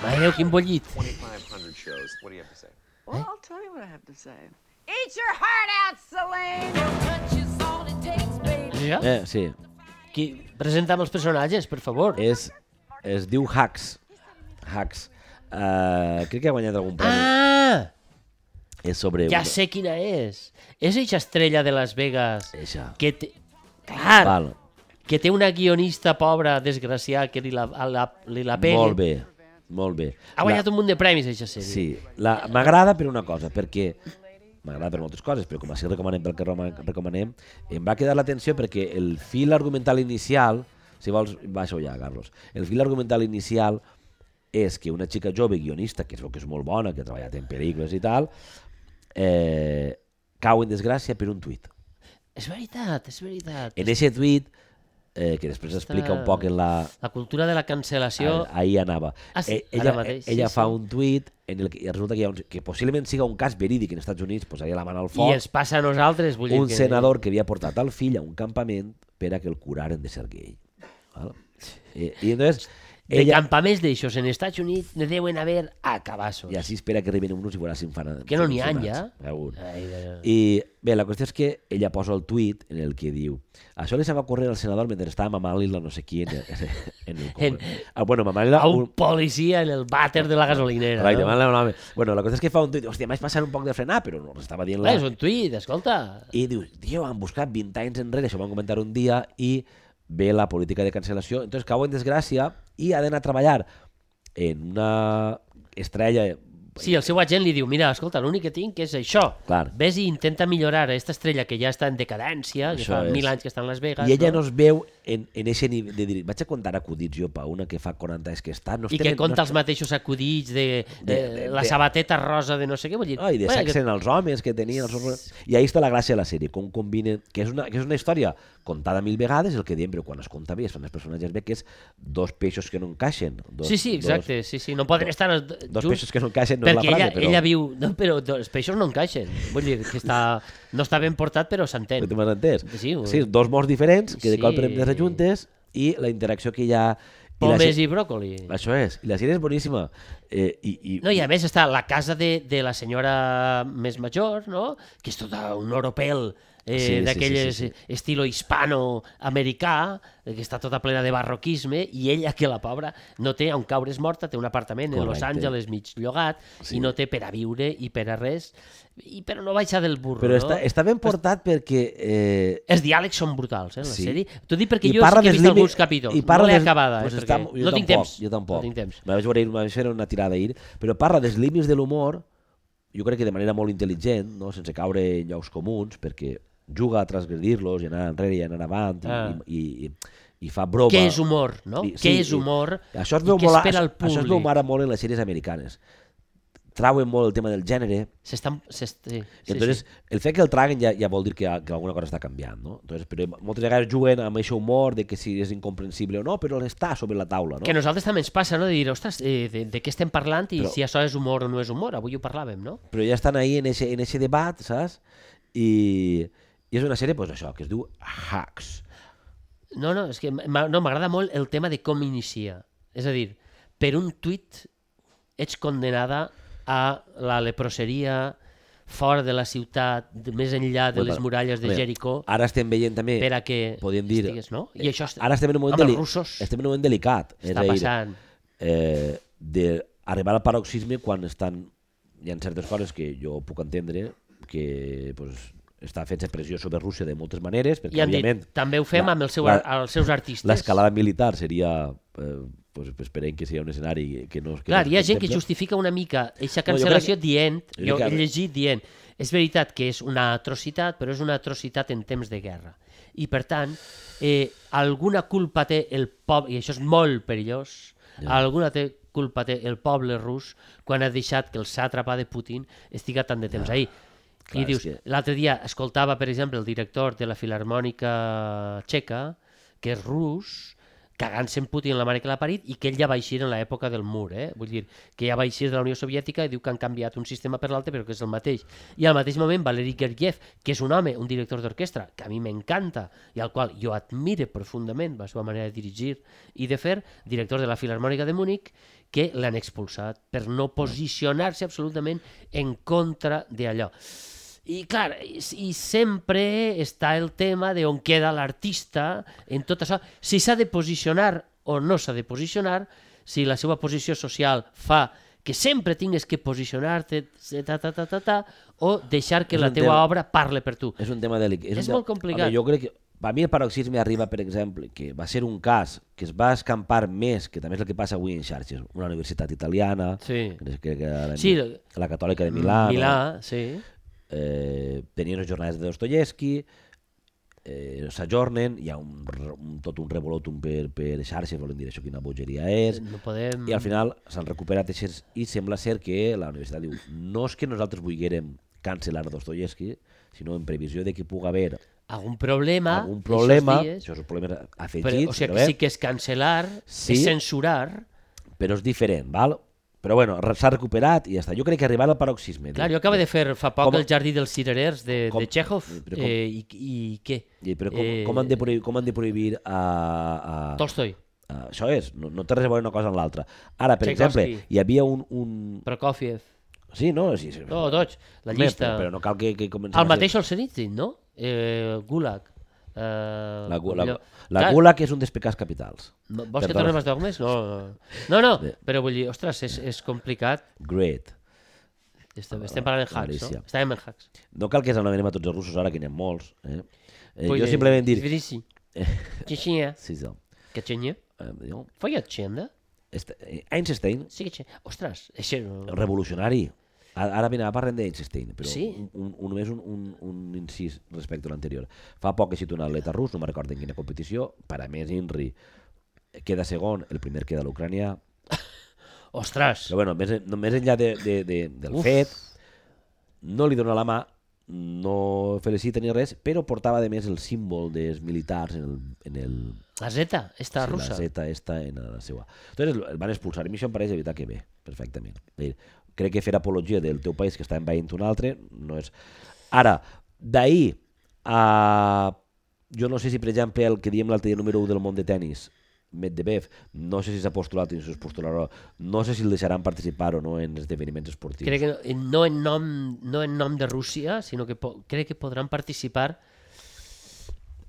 Mare Déu, quin bollit. twenty-five hundred shows. What do you have to say? Well, I'll tell you what I have to say. Eat your heart out, Celine. Touch is all it takes, baby. Ja? Eh, sí, Qui... Presenta'm els personatges, per favor. és, es diu Hacks. Hacks. Uh, crec que ha guanyat algun premi. Ah! És sobre... Ja una- sé quina és. És eixa estrella de Las Vegas Eixa. que té... Clar, Val. que té una guionista pobra, desgraciada, que li la, a la, li la pegui. Molt bé, molt bé. Ha guanyat un munt de premis, eixa sèrie. Sí, la- m'agrada per una cosa, perquè m'agrada per moltes coses, però com així recomanem pel que roma- recomanem, em va quedar l'atenció perquè el fil argumental inicial, si vols, baixa ja, Carlos, el fil argumental inicial és que una xica jove guionista, que es veu que és molt bona, que ha treballat en pel·lícules i tal, eh, cau en desgràcia per un tuit. És veritat, és veritat. En aquest tuit, eh, que després explica un poc en la... La cultura de la cancel·lació... Ah, ahí anava. Ah, sí, Eh, ara ella mateix, ella sí, fa sí. un tuit en el que i resulta que, hi ha un, que possiblement siga un cas verídic en els Estats Units, posaria la mà al I foc, ens passa a nosaltres, vull dir un que... senador que havia portat el fill a un campament per a que el curaren de ser gay. Val? Eh, I entonces De ella... campaments d'aixòs en Estats Units ne deuen haver a cabassos. I així espera que arriben uns i veurà si en fan... Que no n'hi ha, ja. Segur. Ai, de- I bé, la qüestió és que ella posa el tuit en el que diu això li se va ocórrer al senador mentre estava mamant-li la no sé qui en el, en el En- ah, bueno, mamant-li A un policia en el vàter de la gasolinera. Right, no? no? No, bueno, la cosa és que fa un tuit, hòstia, m'haig passat un poc de frenar, però no estava dient la... És un tuit, escolta. I diu, tio, han buscat vint anys enrere, això ho van comentar un dia, i ve la política de cancel·lació, entonces cau en desgràcia i ha d'anar a treballar en una estrella... Sí, el seu agent li diu, mira, escolta, l'únic que tinc és això. Clar. Ves i intenta millorar aquesta estrella que ja està en decadència, que Això fa és. mil anys que està en Las Vegas. I ella no es veu en, en eixe nivell de dir, vaig a contar acudits jo pa una que fa quaranta anys que està... No I estem que en- conta no els mateixos acudits de, de, De- de- la de- sabateta rosa de no sé què. Vull dir, Oh, i de bueno, sexe en els homes que tenien els homes... I ahí està la gràcia de la sèrie, com combinen... Que és una, que és una història contada mil vegades, el que diem, però quan es conta bé, es fan els personatges bé, que és dos peixos que no encaixen. Dos, Sí, sí, exacte, sí, sí, no poden estar els d- Dos, dos junts. peixos que no encaixen, no és la Perquè frase, ella, però... ella viu... No, però do- els peixos no encaixen. Vull dir que està, no està ben portat, però s'entén. Tu m'has entès? Sí, sí, dos morts diferents, que de Sí. cop prenen les juntes, i la interacció que hi ha... I la Pomes se- i bròcoli. Això és, i la sèrie és boníssima. Eh, i, i, No, i a més està la casa de, de la senyora més major, no? Que és tota un oropel eh, Sí, sí, d'aquelles sí, sí, sí. estilo hispano-americà, eh, que està tota plena de barroquisme, i ella, que la pobra, no té on caure's morta, té un apartament en Los Correcte. Angeles mig llogat, Sí. i no té per a viure i per a res, i però no baixa del burro, Però no? està, està ben portat perquè... Eh, Els diàlegs són brutals, eh, en la Sí. sèrie. T'ho dic perquè I jo sí parla que he dels vist límits- alguns capítols. i parla No l'he dels- acabada, pues eh, està, perquè jo no tinc tampoc, temps. Jo tampoc. No tinc temps. Me vaig veure ahir, me vaig fer una tirada ahir, però parla dels límits de l'humor, jo crec que de manera molt intel·ligent, no? Sense caure en llocs comuns, perquè juga a transgredir-los i anar enrere i anar avant i, Ah. i, i, i fa broma. Què és humor, no? I- Què sí, és i- humor Això es i veu què molt, espera el això es veu públic? ara molt en les sèries americanes. Trauen molt el tema del gènere, S'estan... s'est- Sí, i sí, entonces sí. el fet que el traguen ja, ja vol dir que, que alguna cosa està canviant, no? Entonces, però moltes vegades juguen amb aquest humor de que si és incomprensible o no, però està sobre la taula, no? Que a nosaltres també ens passa, no? De dir, ostres, eh, de, de què estem parlant i Però- si això és humor o no és humor. Avui ho parlàvem, no? Però ja estan ahí en ese, en ese debat, saps? I, i és una sèrie, pues, això, que es diu Hacks. No, no, és que m'a- no, m'agrada molt el tema de com inicia. És a dir, per un tuit ets condenada a la leproseria fora de la ciutat, de, més enllà de Bueno, les muralles de bé, Jericó, Ara estem veient també... per a que podríem dir- estigues, no? I això est- Ara estem en un moment, amb els deli- russos estem en un moment delicat. és està a dir, passant. Eh, d'arribar al paroxisme quan estan... Hi ha certes coses que jo puc entendre que pues, està fent pressió sobre Rússia de moltes maneres, perquè I han dit, òbviament també ho fem la- amb el seu, la- ar- els seus artistes. l'escalada militar seria... Eh, pues, esperem que sigui un escenari que no... Que Clar, no hi ha es gent que contempla. justifica una mica aquesta No, jo cancel·lació crec- dient, jo jo crec que- he llegit dient, és veritat que és una atrocitat, però és una atrocitat en temps de guerra. I per tant, eh, alguna culpa té el poble, i això és molt perillós, Ja. alguna té culpa té el poble rus quan ha deixat que el sàtrapa de Putin estiga tant de temps ahí. Clar, I dius, és que- l'altre dia escoltava, per exemple, el director de la Filarmònica Txeca, que és rus, cagant-se en Putin la mare que l'ha parit, i que ell ja va eixir en l'època del mur, eh? Vull dir, que ja va eixir de la Unió Soviètica i diu que han canviat un sistema per l'altre, però que és el mateix. I al mateix moment, Valery Gergiev, que és un home, un director d'orquestra, que a mi m'encanta i al qual jo admire profundament la seva manera de dirigir i de fer, director de la Filarmònica de Múnich, que l'han expulsat per no posicionar-se absolutament en contra d'allò. I clar, i, i sempre està el tema de on queda l'artista en tot això, si s'ha de posicionar o no s'ha de posicionar, si la seva posició social fa que sempre tingues que posicionar-te, ta, ta, ta, ta, ta, o deixar que És la un teua tema- obra parle per tu. És un tema delicat. És un molt tema- complicat. Home, jo crec que per mi el paroxisme arriba, per exemple, que va ser un cas que es va escampar més, que també és el que passa avui en xarxes, una universitat italiana, Sí. que, que, que la, Sí, la Catòlica de Milà, Milà, sí. eh, tenien les jornades de Dostoyevsky, eh, s'ajornen, hi ha un, re- un, tot un revolotum per, per xarxes, volen dir això, quina bogeria és, No podem... i al final s'han recuperat eixes, i sembla ser que la universitat diu no és que nosaltres volguérem cancel·lar Dostoyevsky, sinó en previsió de que pugui haver Algun problema, algun problema, aquests dies, això és un problema però, afegit, o sigui, però, que bé, sí que és cancel·lar, Sí. és censurar. però és diferent, val? Però bueno, re- s'ha recuperat i ja està. Jo crec que arribar al paroxisme. Clar, jo acabo de fer fa poc Com- el Jardí dels Cirerers de, com- de Chekhov, però com- eh, i, i què? I, però com, Eh, com, han de prohibir, com han de prohibir a... a... Tolstoi, a això és, no, no té res a veure una cosa amb l'altra. Ara, per Tchaikovsky. exemple, hi havia un... un... Prokofiev, Sí, no? Sí, sí, no, tots, la Home, llista. Però, però no cal que, que comencem El a ser- mateix Solzhenitsyn, no? Eh, Gulag. Eh, La, gu- la, allò- la Clar, Gulag és un dels pecats capitals. no- Vols que Perdona. tornem als dogmes? No, no, no, no, Bé. però vull dir, ostres, és, és complicat. Great. Estem, estem parlant en hacks, Galícia. no? Estàvem en hacks. No cal que ens anomenem a tots els russos ara, que n'hi ha molts. Eh? Eh, Vull jo simplement dir... Tbilisi. Txetxenia. Sí, sí. Txetxenia. Eh, jo- Feia txenda? Est- eh, Einstein, Sí que txenda. Ostres, això... revolucionari. Ara, ara mira, parlem d'Einstein, però Sí. un, un, un, només un, un, un incís respecte a l'anterior. Fa poc he sigut un atleta rus, no me'n recordo en quina competició, per a més Inri queda segon, el primer queda l'ucranià, Ostres! però bueno, més, no, més enllà de, de, de, del Uf. fet, no li dona la mà, no felicita ni res, però portava de més el símbol dels militars en el, en el La Zeta, esta sí, russa. la Z esta en la seva. Entonces el van expulsar, i a mi això em pareix de veritat que bé, perfectament. Vull dir, crec que fer apologia del teu país que està envaint un altre no és... Ara, d'ahir a... Jo no sé si, per exemple, el que diem l'altre dia número u del món de tennis, Medvedev, no sé si s'ha postulat o si es postularà, no sé si el deixaran participar o no en esdeveniments esportius. Crec que no, no, en nom, no en nom de Rússia, sinó que po crec que podran participar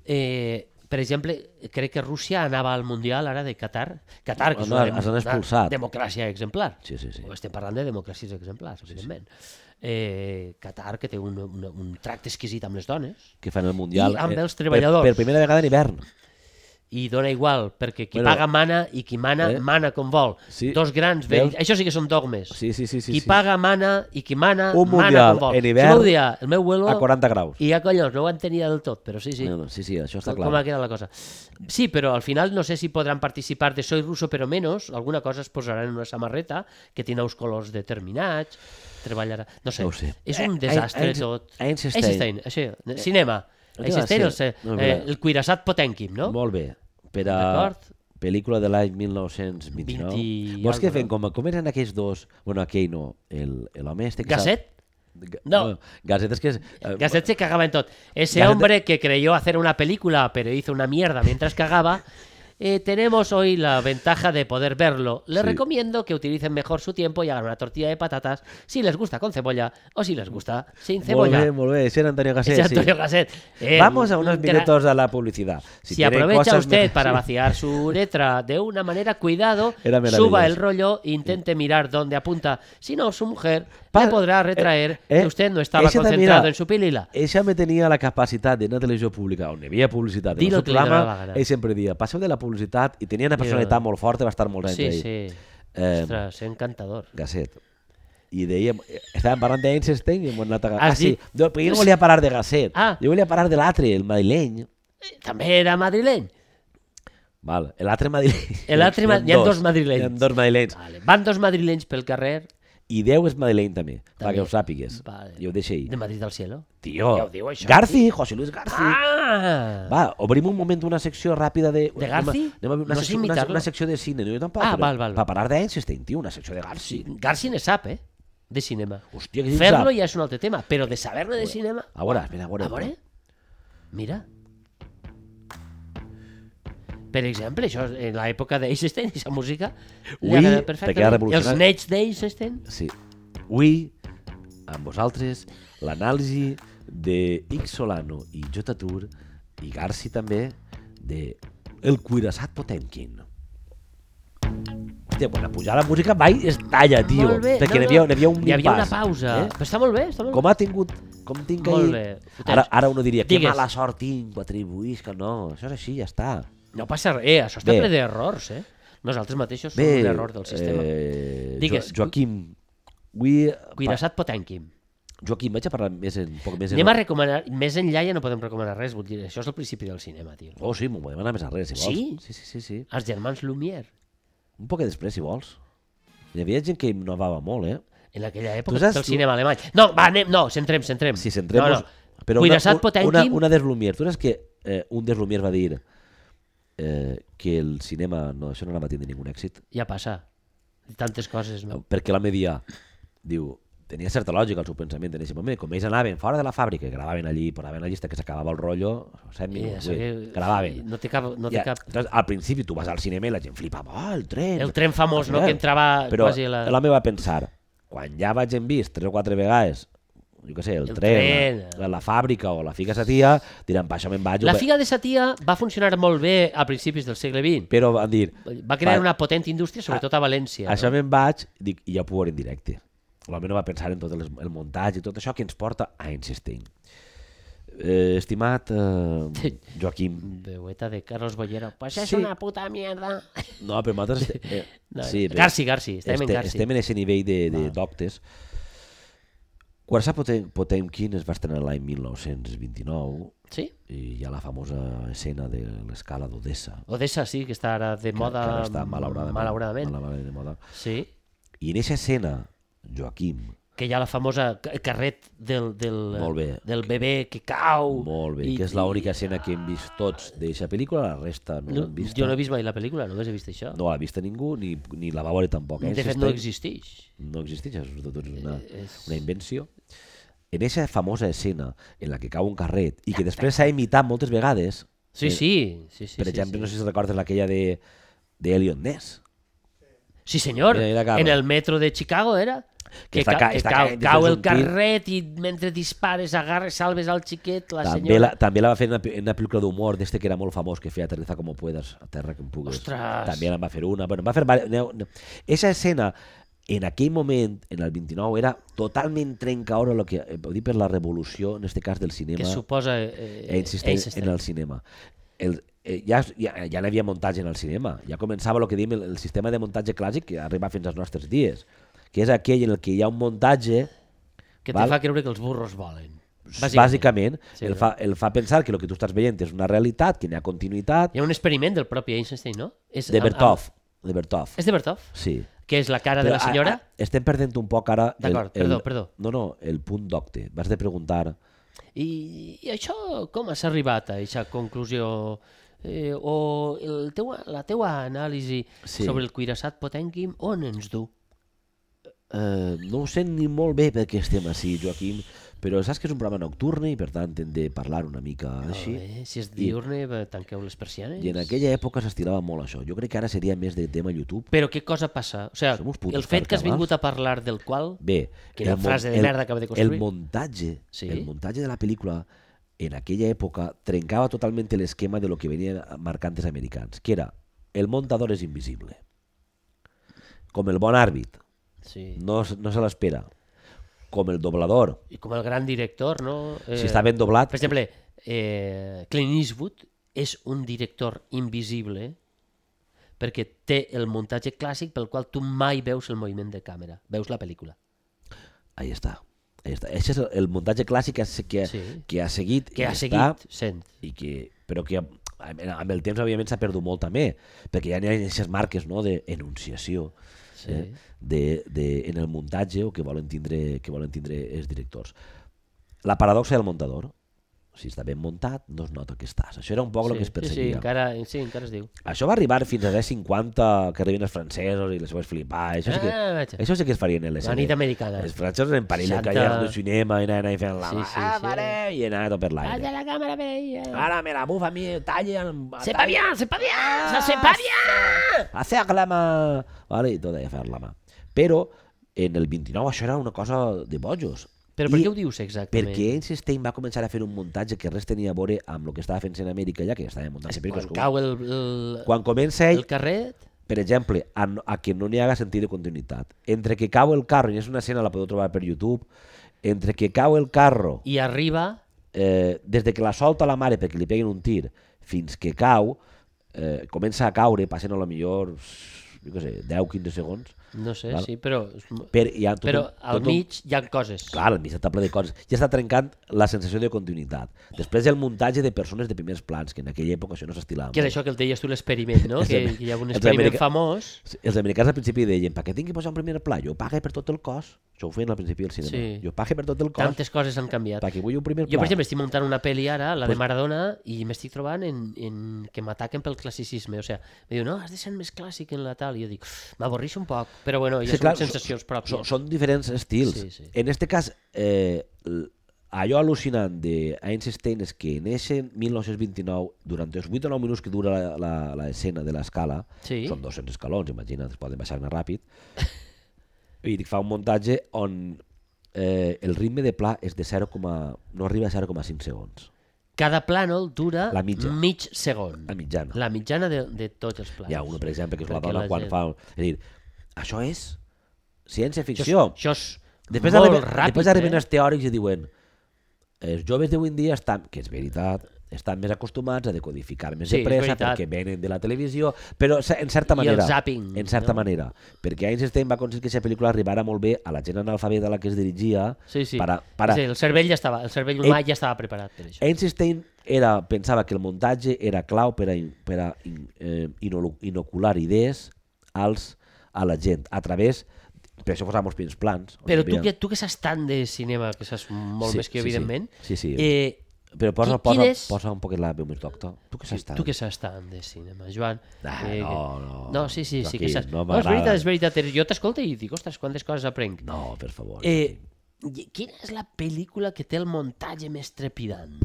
Eh, per exemple, crec que Rússia anava al Mundial ara de Qatar. Qatar, que és No, una, els han una expulsat. democràcia exemplar. Sí, sí, sí. Estem parlant de democràcies exemplars, evidentment. Eh, Qatar, que té un, un, un tracte exquisit amb les dones, Que fan el Mundial. I amb eh, els treballadors. Per, per primera vegada en hivern. i dona igual, perquè qui Bueno, paga mana i qui mana, eh? mana com vol. Sí. Dos grans Veus? vells. Això sí que són dogmes. Sí, sí, sí. sí qui sí. paga mana i qui mana, Un mana Mundial com vol. en hivern Això m'ho dia el meu abuelo A quaranta graus. i ja collons, no ho entenia del tot, però sí, sí. No, no, sí, sí, això està Com, clar. com ha quedat la cosa. Sí, però al final no sé si podran participar de Soy ruso però menos, alguna cosa es posarà en una samarreta que té nous colors determinats, treballarà... No sé, No ho sé. és un Eh, desastre Einstein- tot. Einstein. Einstein, això, cinema. no té Einstein, el, gràcia. se- No, eh, però- el Cuirassat Potemkin, no? Molt bé. Per a D'acord. pel·lícula de l'any mil nou-cents vint-i-nou. vint i Vols que algo, fem no? com, com eren aquells dos... Bueno, aquell no. El- L'home este que... s'ha- Gasset? Ga- No. Gasset és que... És, eh, Gasset se cagaba en todo. Ese Gasset- hombre que creyó hacer una película, pero hizo una mierda mientras cagaba, eh, tenemos hoy la ventaja de poder verlo. Les Sí. recomiendo que utilicen mejor su tiempo y hagan una tortilla de patatas, si les gusta con cebolla o si les gusta sin Molt cebolla. bé, molt bé. Ese era Antonio Gasset, Ese Antonio sí. Gasset. Eh, Vamos a unos un gra- minutos a la publicidad. Si, tienen aprovecha cosas usted mejor- para sí. vaciar su uretra de una manera, cuidado, Era maravilloso. suba el rollo e intente mirar dónde apunta. Si no, su mujer Pa- le podrà retraer eh, eh, que usted no estaba ese també concentrado era- en su pilila. Ella me tenia la capacitat d'una televisió pública on hi havia publicitat. Di En el lo seu que li donava la programa, gana. ell sempre dia, passeu de la publicitat, i tenia una personalitat molt forta, va estar molts anys Sí, ahí. sí. Eh, Ostres, encantador. Gasset. I dèiem, estàvem parlant d'Einstein i hem anat a... Has Ah, sí, dit- jo, però jo no volia parar de Gasset. Ah. Jo volia parar de l'altre, el madrileny. També era madrileny. Val, l'altre madrileny. L'altre ma- hi ha dos madrilenys. Hi ha dos madrilenys. Vale. Van dos madrilenys pel carrer. I Déu és madrileny també, També. perquè ho sàpigues. Vale. I ho deixa ahir. De Madrid al cielo. Tio, Ja ho diu, això, Garci, José Luis Garci. Ah! Va, obrim un moment una secció ràpida de... De Garci? Anem a, anem a una, No sé secció, una, imitar-lo. una secció de cine, no jo tampoc. Ah, però val, val, Per val. parlar d'Einstein, tio, una secció de Garci. Garci ne sap, eh? De cinema. Hòstia, que Fer-lo sap. ja és un altre tema, però de saber-ne de cinema... A veure, espera, a veure. A veure? Mira. Per exemple, això en l'època d'Einstein, aquesta música, li Ui, agrada perquè perfectament. ha revolucionat. Els nets d'Einstein, Sí. Avui, amb vosaltres, l'anàlisi de X Solano i J. Tur i Garci també de El Cuirassat Potemkin. Hòstia, quan pujar la música mai es talla, tio. Molt bé. Perquè no, n'hi havia, no. n'hi havia un Hi havia una impàs, pausa. Eh? Però està molt bé, està molt bé. Com ha tingut... Com tinc Molt ahir... bé. Ho tens. Ara, ara uno diria, que Digues. mala sort tinc, ho atribuís, que no. Això és així, ja està. No passa res, eh, això està Bé. ple d'errors, eh? Nosaltres mateixos som Bé, un error del sistema. Eh, Digues. Jo, Joaquim, avui... Cuirassat Potemkin. Joaquim, vaig a parlar més en, un poc més en... Anem a recomanar, més enllà ja no podem recomanar res, vull dir, això és el principi del cinema, tio. Oh, sí, m'ho podem anar més arrere, si vols. Sí? Sí, sí, sí, sí. Els germans Lumière, Un poc després, si vols. Hi havia gent que innovava molt, eh? en aquella Tu època saps, del tu- cinema alemany. No, va, anem, no, centrem, centrem. Si centrem no, no. Però Cuirassat una, Potemkin, una, una des Lumière. Tu saps que eh, un des Lumière va dir eh, que el cinema, no, això no anava a tindre ningú èxit? ja passa. Tantes coses, no? Perquè l'home dia, diu, tenia certa lògica el seu pensament en aquest moment. Com ells anaven fora de la fàbrica, gravaven allí, posaven la llista que s'acabava el rotllo, set I minuts, això sí, que- gravaven. No té cap... No té Ja, cap... entonces, al principi tu vas al cinema i la gent flipava, oh, el tren. El tren famós, no?, Clar. que entrava Però quasi a la... l'home va pensar, quan ja vaig en vist tres o quatre vegades, jo què sé, el, El tren, tren. La, la fàbrica o la figa sa tia, diran, pa, això me'n vaig. La ho ve-". figa de sa tia va funcionar molt bé a principis del segle vint. Però van dir, Va crear va, una potent indústria, sobretot a València. això no? me'n vaig, dic, i ja ho puc veure en directe. L'home no va pensar en tot el, el muntatge i tot això que ens porta a Einstein. Eh, estimat eh, Joaquim, Veueta de Carlos Bollero. Pues és Sí. una puta mierda. no, però nosaltres... Eh, No, sí, però Garci, Garci, estem en este, Garci. estem en aquest nivell de, de doctes. Cuirassat Potem, Potemkin es va estrenar l'any mil nou-cents vint-i-nou Sí? i hi ha la famosa escena de l'escala d'Odessa. Odessa sí, que està ara de que- moda... que ara està malauradament, malauradament. malauradament de moda. Sí, I en aquesta escena, Joaquim, que hi ha la famosa ca- carret del, del, Molt bé. del bebè que cau. molt bé, I- que és l'única escena que hem vist tots d'aquesta pel·lícula, la resta no No, l'hem vist. jo no he vist mai la pel·lícula, només he vist això. No l'ha vista ningú, ni, ni la va veure tampoc. Eh? de fet, no Existeix- existeix. No existeix, és tot una, És- una invenció. En aquesta famosa escena en la que cau un carret i que després s'ha imitat moltes vegades, Sí, eh, sí. sí, sí per sí, exemple, sí. no sé si recordes aquella de, de Elliot Ness. Sí, senyor. Mira, mira, acaba. En el metro de Chicago era. Que, està, ca, ca, que està cau, caient cau després el un tir. carret i mentre dispares agarres, salves al xiquet, la També senyora... la, també la va fer en una, en una pel·lícula d'humor d'este que era molt famós, que feia Aterriza como puedas, a terra que em pugues. Ostres! També en va fer una. Bueno, va fer... Esa escena, en aquell moment, en el vint-i-nou, era totalment trencadora lo que, eh, dir per la revolució, en este cas del cinema, que suposa... Eh, eh, insistent en el cinema. El, eh, ja, ja, ja n'hi havia muntatge en el cinema. Ja començava el que diem el, el sistema de muntatge clàssic que arriba fins als nostres dies, que és aquell en el que hi ha un muntatge que te val? fa creure que els burros volen. Bàsicament, bàsicament sí, el, no? fa, el fa pensar que el que tu estàs veient és una realitat, que n'hi ha continuïtat. Hi ha un experiment del propi Einstein, no? És, De amb- Bertov. amb- De Bertov. És de Bertov? Sí. Que és la cara Però, de la senyora? a, a, estem perdent un poc ara... el- D'acord, el- perdó, perdó. No, no, el punt d'octe. Vas de preguntar... I, I això com has arribat a aquesta conclusió? Eh, o el teu, la teua anàlisi Sí. sobre el cuirassat Potemkin on ens du? Eh, no ho sé ni molt bé perquè estem així, Joaquim, però saps que és un programa nocturne i per tant hem de parlar una mica així. Eh, si és diurne, I... tanqueu les persianes. I en aquella època s'estirava molt això. Jo crec que ara seria més de tema YouTube. Però què cosa passa? O sigui, Som uns putos el fet que has carcabals. vingut a parlar del qual... Bé, Quina el frase de el- merda acaba de construir. El muntatge, Sí. el muntatge de la pel·lícula en aquella època trencava totalment l'esquema de lo que venien marcant els americans, que era el montador és invisible. Com el bon àrbit, Sí. no, s- no se l'espera. Com el doblador, I com el gran director, no? Eh, si està ben doblat... Per exemple, eh, Clint Eastwood és un director invisible perquè té el muntatge clàssic pel qual tu mai veus el moviment de càmera, veus la pel·lícula. Ahí està. Ahí està. Això és el, el muntatge clàssic que, ha se- que, Sí. que ha seguit Que i ha està, seguit sent. i que, però que amb amb el temps òbviament s'ha perdut molt també, perquè ja n'hi ha aquestes marques, no, d'enunciació Sí. eh, de, de, en el muntatge o que volen tindre que volen tindre els directors. La paradoxa del muntador, si està ben muntat, no es nota que estàs. Això era un poc el que es sí, sí, perseguia. encara, sí, encara es diu. Això va arribar fins als anys cinquanta, que arriben els francesos i les seves flipades. Això, sí que, Ah, vaja. això sí que es farien en les La nit americana. Els francesos en París, en seixanta. calles de cinema, i anaven fent la Sí, mà, sí, ah, sí. mare, i anaven tot per l'aire. la càmera veia. Ara me la bufa a mi, talla... ¡Sepa bien, sepa bien! ¡Se sepa bien! Hacer la mà... Vale, i tot allà fer la mà. Però en el vint-i-nou això era una cosa de bojos. Però per I què ho dius exactament? Perquè Einstein va començar a fer un muntatge que res tenia a veure amb el que estava fent en Amèrica ja, que ja estava muntant pel·lícules. Quan cau el, el, Quan comença ell, el carret... per exemple, a, no- a que no n'hi haga sentit de continuïtat. Entre que cau el carro, i és una escena, la podeu trobar per YouTube, entre que cau el carro, I arriba... eh, des de que la solta la mare perquè li peguen un tir, fins que cau, eh, comença a caure, passen a lo millor, jo què sé, deu quinze segons, No sé, Val. sí, però... per, hi ha tot Però un, al tot un- mig hi ha coses. Clar, al mig està ple de coses. Ja està trencant la sensació de continuïtat. Després el muntatge de persones de primers plans, que en aquella època això no s'estilava Que és molt. això que el deies tu, l'experiment, no? Els Que, amer- que hi ha un els experiment america- famós. Els americans al principi deien, per què tinc que posar un primer pla? Jo pague per tot el cos. Això ho feien al principi del cinema. Sí. Jo pague per tot el cos, Tantes coses han canviat. perquè vull un primer Jo, pla. per exemple, estic muntant una pel·li ara, la de Pues- Maradona, i m'estic trobant en, en que m'ataquen pel classicisme. O sigui, em diu, no, has de ser més clàssic en la tal. I jo dic, m'avorreixo un poc. Però bueno, ja Sí, són clar, sensacions són, pròpies. són diferents estils. Sí, sí. En este cas, eh, l- allò al·lucinant d'Einstein és que en ese mil nou-cents vint-i-nou, durant els vuit o nou minuts que dura l'escena de l'escala, Sí. són dos-cents escalons, imagina't, es poden baixar-ne ràpid, i fa un muntatge on eh, el ritme de pla és de zero, no arriba a zero coma cinc segons. Cada plànol dura La mitja. mig segon. La mitjana. La mitjana de, de tots els plànols. Hi ha una, per exemple, que és la Perquè dona la quan gent- fa... És a dir, això és ciència-ficció. Això és Després molt arriben, ràpid, després arriben eh? els teòrics i diuen els joves d'avui en dia estan, que és veritat, estan més acostumats a decodificar més Sí, de és pressa veritat. perquè venen de la televisió, però se- en certa I el manera. zapping, en certa no? manera. Perquè Einstein va aconseguir que aquesta pel·lícula arribara molt bé a la gent analfabeta a la que es dirigia. Sí, sí. Para, para... Sí, el cervell ja estava, el cervell humà ja estava preparat per això. Einstein era, pensava que el muntatge era clau per a, in- per a in, eh, inolu- inocular idees als, a la gent, a través, per això posàvem els primers plans. on Però hi tu havia- que, tu que saps tant de cinema, que saps molt Sí, més que jo, sí, sí. evidentment, Sí, sí. eh, Però posa, qui- posa, quin és- posa un poquet la veu més doctor. Tu què saps tant? tu que saps tant de cinema, Joan. Ah, eh, no, que- no. No, sí, sí, sí que Joaquim, saps. no No, és m'agrada. veritat, és veritat. Jo t'escolto i dic, ostres, quantes coses aprenc. No, per favor. Eh, i- quina és la pel·lícula que té el muntatge més trepidant?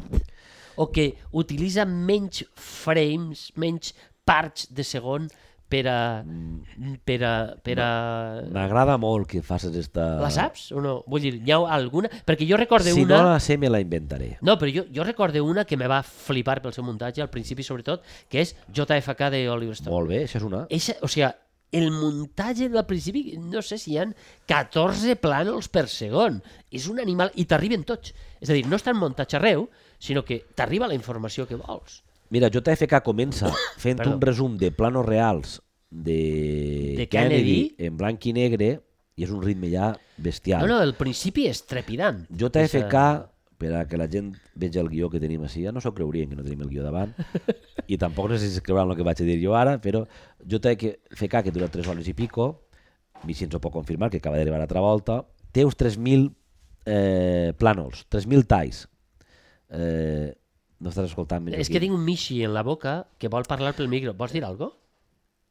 O que utilitza menys frames, menys parts de segon per a... per a... Per a... M'agrada molt que facis esta... La saps o no? Vull dir, hi ha alguna... Perquè jo recorde Si una... no la sé, me la inventaré. No, però jo, jo recorde una que me va flipar pel seu muntatge, al principi sobretot, que és J F K de Oliver Stone. Molt bé, això és una. Eixa, o sigui, el muntatge del principi, no sé si hi ha catorze plànols per segon. És un animal... I t'arriben tots. És a dir, no estan muntats arreu, sinó que t'arriba la informació que vols. Mira, J F K comença fent Perdó. un resum de planos reals de, De Kennedy, Kennedy. en blanc i negre, i és un ritme ja bestial. No, no, el principi és trepidant. J F K, És, per a que la gent vegi el guió que tenim així, ja no s'ho creurien que no tenim el guió davant, i tampoc no sé si es creuran el que vaig a dir jo ara, però J F K, que dura tres hores i pico, Vichy ens ho pot confirmar, que acaba d'arribar a Travolta, té uns tres mil eh, plànols, tres mil talls. Eh, no estàs escoltant més és aquí. que tinc un Michi en la boca que vol parlar pel micro. Vols dir alguna cosa?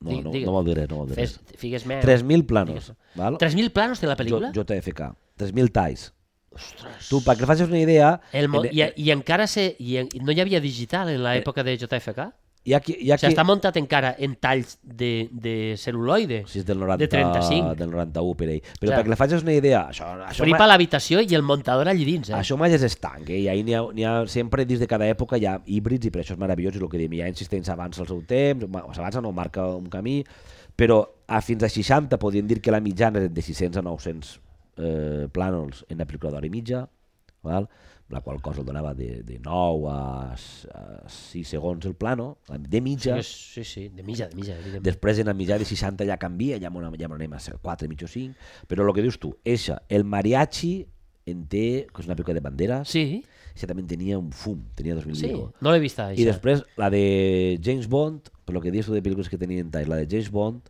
No, Digue- no, digue. no vol dir res, no vol dir Fes, res. figues meu. tres mil planos, Digues. val? tres mil planos té la pel·lícula? J F K, tres mil talls. Ostres. Tu, perquè facis una idea... El mo... en- I, I encara se... I en... no hi havia digital en l'època de J F K? hi ha qui, hi ha O sigui, qui... està muntat encara en talls de, de cel·luloide. Si és del noranta, de trenta-cinc. del noranta-u per ell. Però Clar. perquè la facis una idea... Això, això, Fripa l'habitació i el muntador allí dins. Eh? això mai és estanc, eh? I ahí n'hi ha, n'hi ha, sempre dins de cada època hi ha híbrids i per això és meravellós, i el que diem, hi ha insistents avança el seu temps, o s'avança no, marca un camí, però a fins a seixanta podríem dir que la mitjana és de sis-cents a nou-cents eh, plànols en la pel·lícula d'hora i mitja, val? La qual cosa el donava de, de nou a, a sis segons el plano, de mitja. Sí, sí, de mitja, de mitja, evidentment. Després en la mitjà de seixanta ja canvia, ja m'ho ja anem a quatre, mig o cinc, però el que dius tu, eixa, el mariachi en té, que és una pel·lícula de banderes, Sí, eixa també tenia un fum, tenia dos mil sí, pico. no l'he vista, I això. després la de James Bond, per lo que dius tu de pel·lícules que tenien talls, la de James Bond,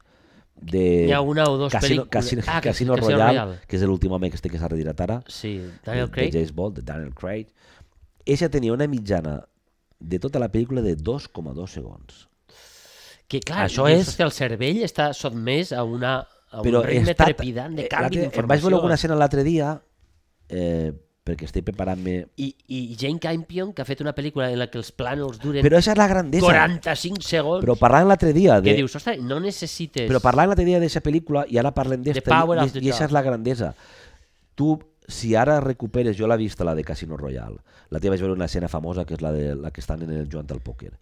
de Hi ha una o dos Casino, pel·lícules. Casino, Ah, Casino, Casino Royale, Royale. que és l'últim home que este que s'ha retirat ara, Sí, Daniel de, Craig. de James Bond, de Daniel Craig. Eixa tenia una mitjana de tota la pel·lícula de dos coma dos segons. Que clar, Això dius, és- hòstia, el cervell està sotmès a, una, a un Però ritme està- trepidant de eh, canvi l'altre- d'informació. Em vaig veure alguna escena l'altre dia, eh, perquè estic preparant-me... I, I Jane Campion, que ha fet una pel·lícula en la que els plànols duren Però això és la grandesa. quaranta-cinc segons, Però parlant l'altre dia... que De... dius, ostres, no necessites... Però parlant l'altre dia d'aquesta pel·lícula, i ara parlem d'esta, The power i, of the i això dog. és la grandesa. Tu, si ara recuperes, jo l'he vista, la de Casino Royale, la teva vaig veure una escena famosa, que és la, de, la que estan en el jugant al pòquer.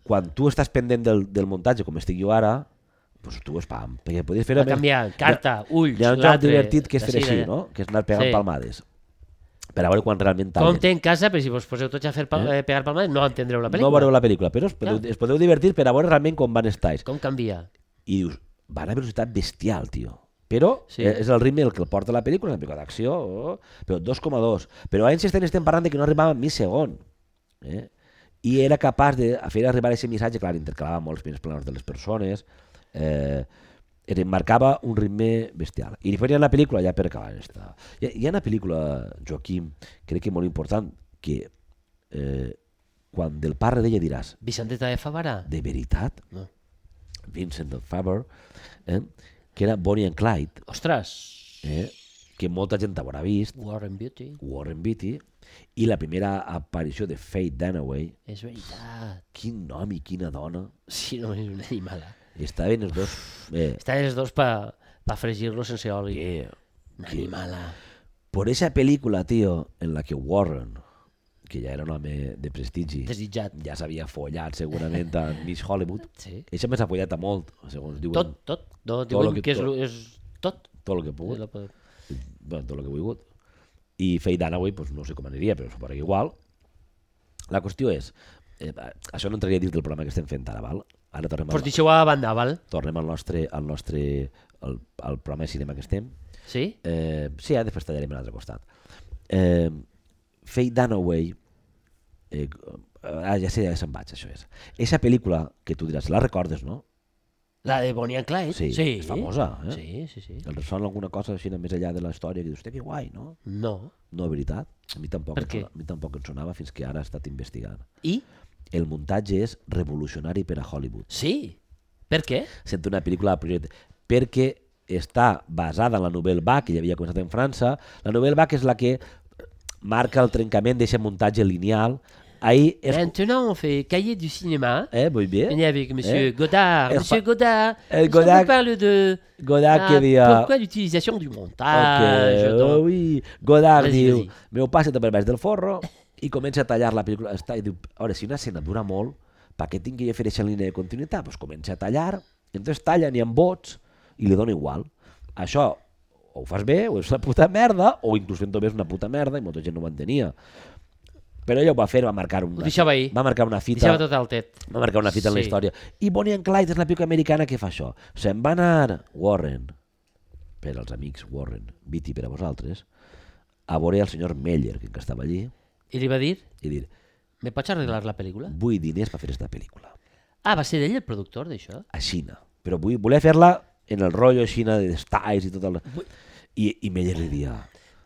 Quan tu estàs pendent del, del muntatge, com estic jo ara, doncs tu és pam, perquè podies fer... Va canviar, carta, ulls, Hi ha un joc l'altre, divertit que és fer d'ací, així, d'allà. no? Que és anar pegant Sí. palmades. Per a veure quan realment tallen. Compte en casa, però si vos poseu tots a fer pal eh? pegar palmades, no entendreu la pel·lícula. No veureu la pel·lícula, però es podeu, Clar. es podeu divertir per a veure realment com van estar. Com canvia? I dius, van a velocitat bestial, tio. Però Sí. sí. és el ritme el que el porta la pel·lícula, una pel·lícula d'acció, oh, però dos coma dos. Però a Einstein estem parlant de que no arribava a mig segon. Eh? I era capaç de fer arribar aquest missatge, clar, intercalava molts primers planos de les persones, eh, marcava un ritme bestial. I després hi ha una pel·lícula, ja per acabar esta, hi ha, hi ha una pel·lícula, Joaquim, crec que molt important, que eh, quan del pare d'ella diràs, Vicenteta de Favara? de veritat, No. Vincent de Favre, eh, que era Bonnie and Clyde, Ostres, eh, que molta gent haurà vist, Warren Beatty, Warren Beatty, i la primera aparició de Faye Dunaway, és veritat. quin nom i quina dona, Sí, no, és una animala. estaven els dos... Eh, Estan els dos pa, pa fregir-lo sense oli. que, Una que, animala. por esa película, tío, en la que Warren, que ja era un home de prestigi, Desitjat. ja s'havia follat segurament a Miss Hollywood, Sí. ella més ha follat a molt, segons diuen. Tot, tot. No, Tot diuen lo que- que és, tot. és tot. Tot el que he Sí, pogut. lo pot- Bueno, tot el que he volgut. I Faye Dunaway, pues, no sé com aniria, però suposo que igual. La qüestió és, eh, això no entraria dins del programa que estem fent ara, val? Ara tornem, Pues al, deixeu a banda, val? tornem al nostre, al nostre al, al programa de cinema que estem. Sí? Eh, sí, ara després tallarem a l'altre costat. Eh, Faye Dunaway, eh, ah, ja sé, ja se'n vaig, això és. Eixa pel·lícula que tu diràs, la recordes, no? La de Bonnie and Clyde? Sí, sí. és famosa, eh? Sí, sí, sí. El ressona alguna cosa així més enllà de la història que dius, hòstia, que guai, no? No. No, veritat. A mi tampoc, Per em què? sona, a mi tampoc em sonava fins que ara he estat investigant. I? El muntatge és revolucionari per a Hollywood. Sí. Per què? Sent una pel·lícula de projecte. Perquè està basada en la Nouvelle Vague, que ja havia començat en França. La Nouvelle Vague és la que marca el trencament d'aquest muntatge lineal ahir... És... Maintenant, on fait cahier du cinéma. Eh, muy bien. Venez avec Monsieur Eh? Godard. Eh, Monsieur fa- Godard. Eh, est-ce qu'on Godard- vous parle de... Godard Ah, que dia... Pourquoi l'utilisation du Ok, montage donc... ui. Godard Vas-y, diu, vas-y. meu passa per baix del forro i comença a tallar la pel·lícula. Està, i diu, a veure, si una escena dura molt, perquè tingui que fer aquesta línia de continuïtat, doncs comença a tallar, i entonces talla, n'hi ha bots, i li dona igual. Això o ho fas bé, o és una puta merda, o inclús fent-ho bé és una puta merda, i molta gent no ho entenia. Però ella ho va fer, va marcar una, Ho deixava ahir. va marcar una fita, Deixava tot el tet. va marcar una fita en la Sí. història. I Bonnie and Clyde és la pel·lícula americana que fa això. Se'n va anar Warren, per als amics Warren, Beatty per a vosaltres, a veure el senyor Meller, que estava allí, I li va dir, i dir, me pots arreglar la pel·lícula? vull diners per fer aquesta pel·lícula. Ah, va ser ell el productor d'això? A Xina. Però vull, volia fer-la en el rotllo Xina de styles i tot el... I, i Meller li dia,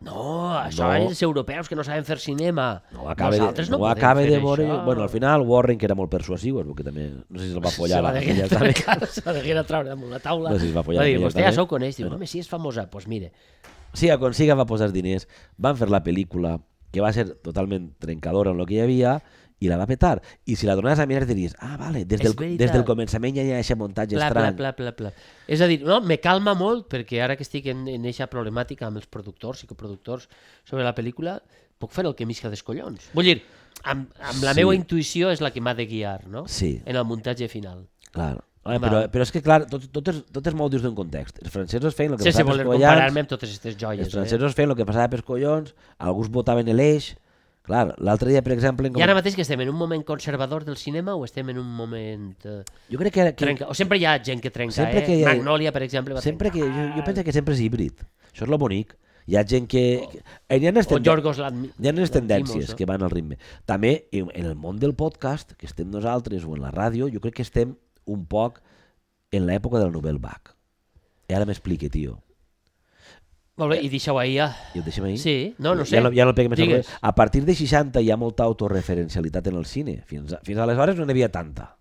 No, això No. els europeus que no saben fer cinema. no ho acaba, de, Nosaltres no, no ho podem acaba fer de veure... això. Bueno, al final Warren, que era molt persuasiu, és perquè també, no sé si se'l va follar. Se va la- deguer aquella treure, també. se va deguer treure damunt la taula. No sé si es va follar Va dir, aquella vostè ja també. sou coneix. Diu, Bueno. home, si és famosa. Doncs pues mire, Sí, aconsiga va posar diners, van fer la pel·lícula, que va ser totalment trencadora en el que hi havia, i la va petar. I si la donaves a mirar diries, ah, vale, des És del, veritat. des del començament ja hi ha aquest muntatge pla, pla, estrany. pla, pla, pla. És a dir, no, me calma molt perquè ara que estic en aquesta problemàtica amb els productors i coproductors sobre la pel·lícula, puc fer el que m'isca dels collons. Vull dir, amb, amb la Sí. meva intuïció és la que m'ha de guiar, no? Sí. En el muntatge final. Clar. Home, Val. però, però és que, clar, tot, tot, és, tot és molt dins d'un context. Els francesos feien el que Sense passava voler pels collons, comparar-me amb totes aquestes joies. els francesos feien el que passava pels collons, alguns votaven l'eix. Clar, l'altre dia, per exemple... Eh? I ara mateix que estem en un moment conservador del cinema o estem en un moment... Eh, Jo crec que... que trenca? O sempre hi ha gent que trenca, Sempre eh? que hi ha- Magnolia, per exemple, va sempre que, trencar. jo, jo penso que sempre és híbrid. Això és lo bonic. Hi ha gent que... que hi ha les, O tenden... Yorgos Lanthimos. hi ha les tendències no? que van al ritme. També, en en el món del podcast, que estem nosaltres, o en la ràdio, jo crec que estem un poc en l'època del Nouvelle Vague. I ara m'explique, tio. Molt bé, i deixa-ho ahir ja. I ho deixem ahir? Sí, no, no sé. Ja no, ja no el peguem més al Digues. revés. A partir de seixanta hi ha molta autorreferencialitat en el cine. Fins, a, fins aleshores no n'hi havia tanta.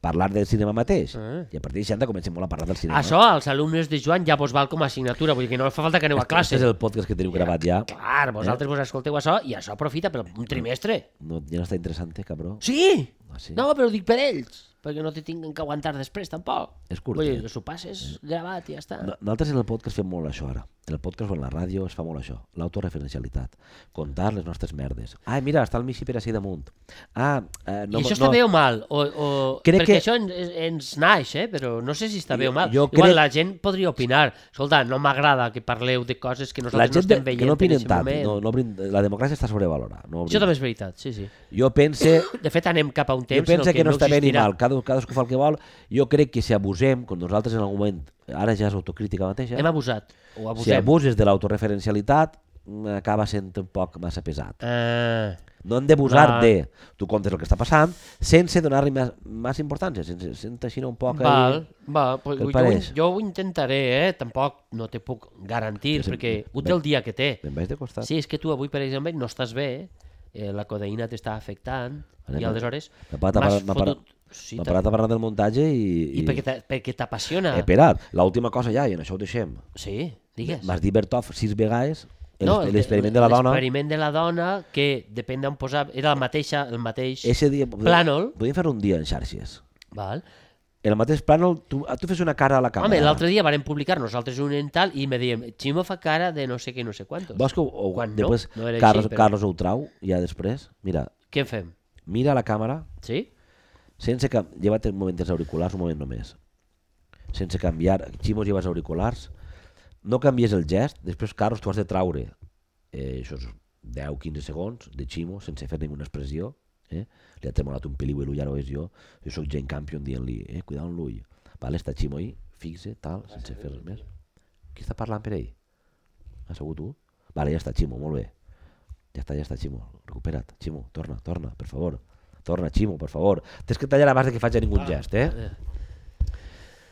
Parlar del cinema mateix. Ah. I a partir de seixanta comencem molt a parlar del cinema. Això, als alumnes de Joan ja vos val com a assignatura, vull dir que no fa falta que aneu a classe. Aquest és el podcast que teniu gravat ja. Clar, vosaltres vos escolteu això i això aprofita per un trimestre. No, ja no està interessant, cabró. Sí! Ah, sí? No, però ho dic per ells, perquè no te tinguin que aguantar després tampoc. És curt, Vull eh? dir, que s'ho passes gravat i ja està. No- Nosaltres en el podcast fem molt això ara. En el podcast o en la ràdio es fa molt això. L'autoreferencialitat. Contar les nostres merdes. Ah, mira, està el Mixi per ací damunt. Ah, eh, no, I això no, està bé o mal? O, o... Crec perquè que- això ens, ens naix, eh? Però no sé si està bé o mal. Jo Igual crec- la gent podria opinar. Escolta, no m'agrada que parleu de coses que La nosaltres gent no de, estem veient que no en opinen aquest tant. moment. No, no, brin- la democràcia està sobrevalorada. No Això també és veritat, sí, sí. Jo pense... De fet, anem cap a un Jo temps en penso el que, que no està bé ni existirà. mal, cada, cadascú fa el que vol. Jo crec que si abusem, quan nosaltres en algun moment, ara ja és autocrítica mateixa, Hem abusat, o si abusem. abuses de l'autoreferencialitat, mm, acaba sent un poc massa pesat. Ah, No hem d'abusar Val. de... Tu comptes el que està passant sense donar-li més, més importància, sense, sense així un poc... val, ahí. va, pues, Què et jo, ho, pareix? jo ho intentaré, eh? Tampoc no te puc garantir, Sí, sí, perquè ho té ben- el dia que té. Me'n vaig de costat. Sí, és que tu avui, per exemple, no estàs bé, eh, la codeïna t'està afectant, Anem i a- aleshores M'ha parat a m'has parlar- m'ha parat- fotut... Sí, M'ha t'ha- parat a parlar del muntatge i... I perquè t'a- perquè t'apassiona. He parat. L'última cosa ja, i en això ho deixem. Sí, digues. M'has dit Bertov sis vegades, el- No, el- l'experiment de la dona. L'experiment de la dona, que depèn d'on posar... Era el mateix, el mateix Ese dia... plànol. Podíem fer un dia en xarxes. Val. En el mateix plànol, tu, tu fes una cara a la càmera. Home, l'altre dia varen publicar nosaltres un en tal i me diem, Ximo fa cara de no sé què, no sé quantos. Vols que ho, o, Quan no, després no era Carlos, així, però- Carlos ho trau, ja després? Mira, Què en fem? mira la càmera Sí? sense que... Lleva't un moment els auriculars, un moment només. Sense canviar... Ximo, lleva els auriculars. No canvies el gest. Després, Carlos, tu has de traure eh, això és deu a quinze segons de Ximo sense fer ninguna expressió. Eh? Li ha tremolat un peliu i l'ull, ara ho és jo. Jo soc Jane Campion dient-li, eh, cuidado amb l'ull. Vale, està Ximo ahí, fixe, tal, sense fer res més. Qui està parlant per ell? Has segut tu? Vale, ja està, Ximo, molt bé. Ja està, ja està, Ximo, recupera't. Ximo, torna, torna, per favor. Torna, Ximo, per favor. Tens que tallar abans de que faci ningú gest, eh?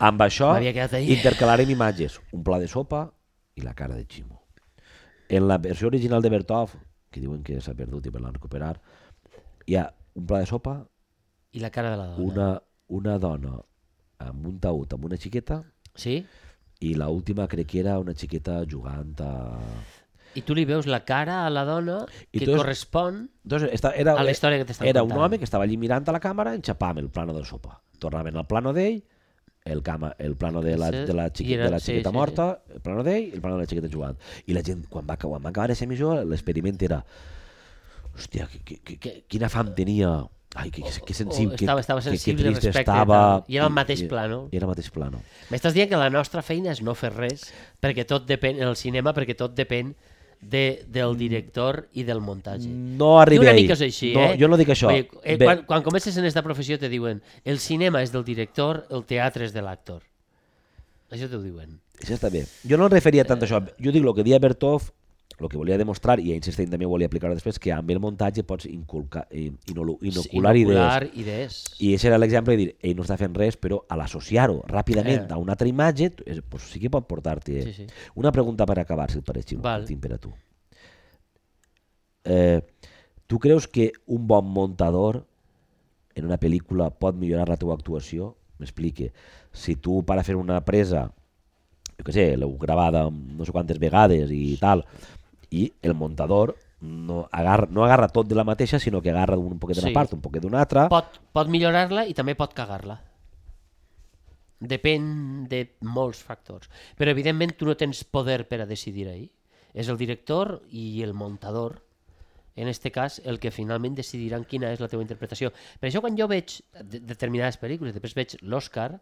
Amb això M'havia quedat ahí. intercalarem imatges. Un pla de sopa i la cara de Ximo. En la versió original de Bertov, que diuen que s'ha perdut i per la recuperar, hi ha un pla de sopa, I la cara de la dona. una, una dona amb un taüt, amb una xiqueta, Sí? i l'última crec que era una xiqueta jugant a... I tu li veus la cara a la dona I que tu és- correspon Entonces, esta, era, a la història que t'estan era contant. un home que estava allí mirant a la càmera, enxapàvem el plano del sopa. Tornaven al plano d'ell, el, cama, el plano de la, de la, xiqui, I era- de la sí, xiqueta sí, morta, el plano d'ell i el plano de la xiqueta jugant. I la gent, quan va, quan va acabar aquesta emissió, l'experiment era hòstia, que, que, que, que, quina fam tenia, ai, que, que, que sensible, O estava- estava que, que, sensible que trist respecte estava. tal. I era el mateix plano. I era el mateix plano. M'estàs dient que la nostra feina és no fer res, perquè tot depèn, en el cinema, perquè tot depèn de, del director i del muntatge. No arribi I una ahí. mica és així, no, eh? Jo no dic això. Oye, eh, Bé, quan, quan comences en esta professió te diuen el cinema és del director, el teatre és de l'actor. Això t'ho diuen. Això està bé. Jo no em referia tant a això. Jo dic el que deia Bertov, el que volia demostrar, i Einstein també ho volia aplicar després, que amb el muntatge pots inculcar, in- inolu- inocular idees. Inocular idees. I aquest era l'exemple de dir, ell no està fent res, però a l'associar-ho ràpidament Eh. a una altra imatge, tu- és- pues sí que pot portar-te... Sí, sí. Una pregunta per acabar, si et pareix, Ximo, Val. que tinc per a tu. Eh, tu creus que un bon muntador en una pel·lícula pot millorar la teva actuació? M'explique. Si tu, per a fer una presa, jo què sé, l'heu gravada no sé quantes vegades i tal, i el muntador no agarra, no agarra tot de la mateixa, sinó que agarra un poquet d'una Sí. part, un poquet d'una altra. Pot, pot millorar-la i també pot cagar-la. Depèn de molts factors. Però, evidentment, tu no tens poder per a decidir ahí. És el director i el muntador, en este cas, el que finalment decidiran quina és la teva interpretació. Per això, quan jo veig de- determinades pel·lícules, després veig l'Oscar,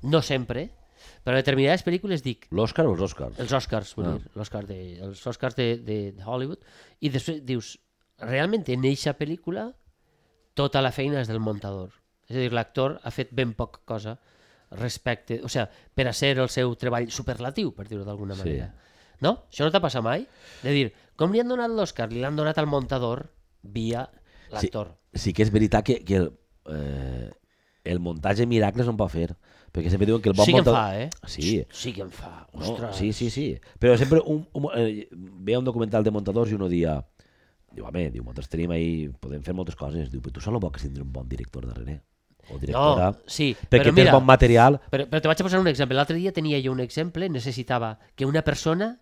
no sempre, però en determinades pel·lícules dic, L'Òscar o els Òscars? els Oscars, vull Ah. dir, l'Oscar de, els Oscars de, de, de Hollywood, i després dius, realment en eixa pel·lícula tota la feina és del muntador. És a dir, l'actor ha fet ben poca cosa respecte, o sigui, per a ser el seu treball superlatiu, per dir-ho d'alguna Sí. manera. No? Això no t'ha passat mai? De dir, com li han donat l'Oscar? Li l'han donat al muntador via l'actor. Sí, sí que és veritat que, que el, eh, el muntatge miracles no en pot fer, perquè sempre diuen que el bon Sí que en muntador... fa, eh? Sí, Sí que en fa, no, ostres. sí, sí, sí. Però sempre un, un, eh, veia un documental de muntadors i uno dia, diu, home, diu, nosaltres tenim ahí, podem fer moltes coses, diu, però tu solo vols tindre un bon director darrere, o directora, No, sí, perquè però tens mira, bon material. Però, però te vaig a posar un exemple. L'altre dia tenia jo un exemple, necessitava que una persona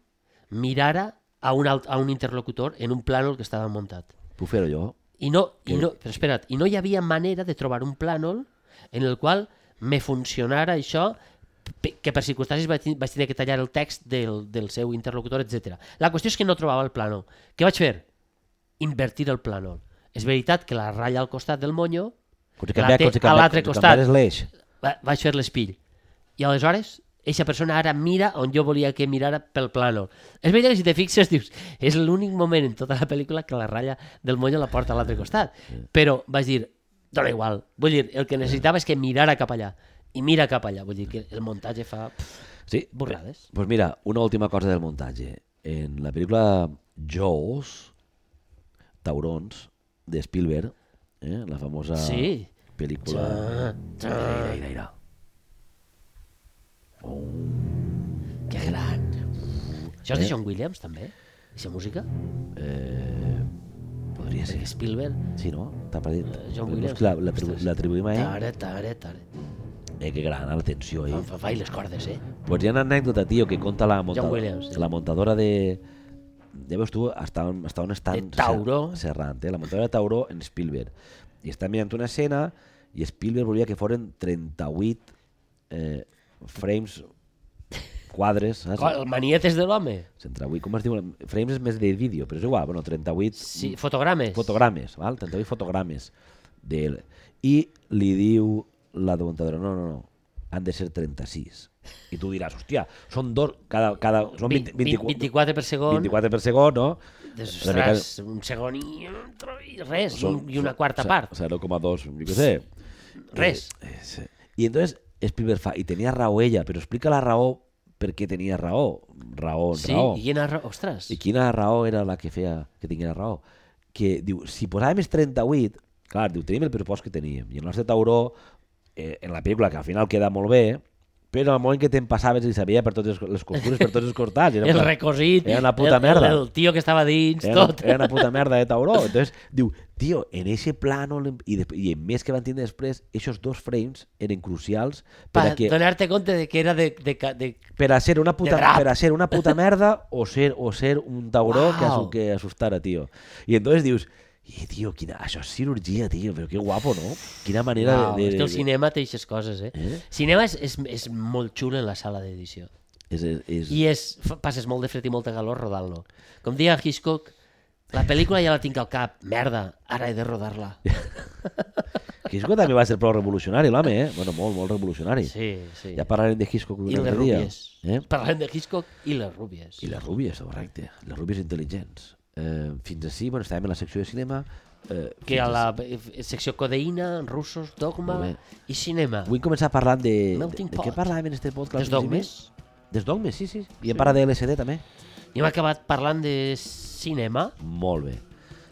mirara a un, alt, a un interlocutor en un plànol que estava muntat. Puc fer-ho jo? I no, i Que- no, però espera't, i no hi havia manera de trobar un plànol en el qual me funcionara això, pe- que per circumstàncies vaig, tin- vaig tenir que tallar el text del, del seu interlocutor, etcètera. La qüestió és que no trobava el plànol. Què vaig fer? Invertir el plànol. És veritat que la ratlla al costat del monyo, Quan se La canvia, té quan se a canvia, l'altre quan se costat. canvia l'eix. va- vaig fer l'espill. I aleshores, eixa persona ara mira on jo volia que mirara pel plànol. És veritat que si te fixes, dius, és l'únic moment en tota la pel·lícula que la ratlla del monyo la porta a l'altre costat. Però vaig dir, dona igual. Vull dir, el que necessitava és que mirara cap allà. I mira cap allà. Vull dir que el muntatge fa pff, Sí, borrades. pues mira, una última cosa del muntatge. En la pel·lícula Jaws, Taurons, de Spielberg, eh, la famosa Sí. pel·lícula... Ja, ja. Mira, mira, mira. Que gran. Això és de John Williams, també? Aquesta música? Eh, podria ser. Perquè Spielberg... Sí, no? T'ha parit. Eh, John Però Williams. és que la- la- Ostres. L'atribuïm a ell. Tare, tare, tare. Eh, que gran, la tensió, Fa, eh? fa, fa i les cordes, eh? Pues hi ha una anècdota, tio, que conta la, monta... John Williams, sí. la montadora de... Ja veus tu, hasta on, hasta on estan... De Tauró. ser- Serrant, eh? La montadora de Tauró en Spielberg. I està mirant una escena i Spielberg volia que foren trenta-vuit eh, frames quadres, saps? Co- El manietes de l'home. trenta-vuit, com es diu? Frames és més de vídeo, però és igual, bueno, trenta-vuit Sí, fotogrames. fotogrames, val? trenta-vuit fotogrames d'ell. I li diu la muntadora, no, no, no, han de ser trenta-sis. I tu diràs, hòstia, són dos, cada, cada, són Vint- vint, vint, vint-i-quatre per segon. vint-i-quatre per segon, no? Ostres, un segon i, i res, i, un, i una quarta se- part. zero coma dos, jo què sé. Res. Eh, eh, sí. I entonces Spielberg fa, i tenia raó ella, però explica la raó per què tenia raó. Raó, Sí, raó. i quina raó, ostres. I quina raó era la que feia que tingués raó? Que diu, si posàvem els trenta-vuit, clar, diu, tenim el pressupost que teníem. I el nostre tauró, eh, en la pel·lícula, que al final queda molt bé, però al moment que te'n passaves i sabia per totes les costures, per tots els costats. Era El una- recosit, Era una puta el, merda. el, el tio que estava dins, Era, tot. era una puta merda de tauró. Entonces, diu, tio, en ese plano, i, de, i en més que van tindre després, esos dos frames eren crucials per Per a, que, donar-te compte de que era de... de, ca- de... per a ser una puta, de rap. per a ser una puta merda o ser, o ser un tauró que, Uau. asu- que assustara, tio. I entonces dius, i, tio, quina, això és cirurgia, tio, però que guapo, no? Quina manera Uau, de... de, és que el de- cinema té aquestes coses, eh? Eh? Cinema és, és, és molt xulo en la sala d'edició. És, és, és, I és, fa- passes molt de fred i molta calor rodant-lo. Com deia Hitchcock, la pel·lícula ja la tinc al cap. Merda, ara he de rodar-la. Hitchcock també va ser prou revolucionari, l'home, eh? Bueno, molt, molt revolucionari. Sí, sí. Ja parlarem de Hitchcock un I les altre dia. rúbies. Eh? Parlem de Hitchcock i les rúbies. I les rúbies, correcte. Les rúbies intel·ligents. Eh, fins així, bueno, estàvem en la secció de cinema. Eh, Que fins a la ací. eh, secció codeïna, russos, dogma Molt bé. i cinema. Vull començar parlant de... De, Melting de què pot. parlàvem en este podcast? Dels dogmes. Dels dogmes, sí, sí. I hem parlat de L S D també. I hem acabat parlant de cinema Molt bé.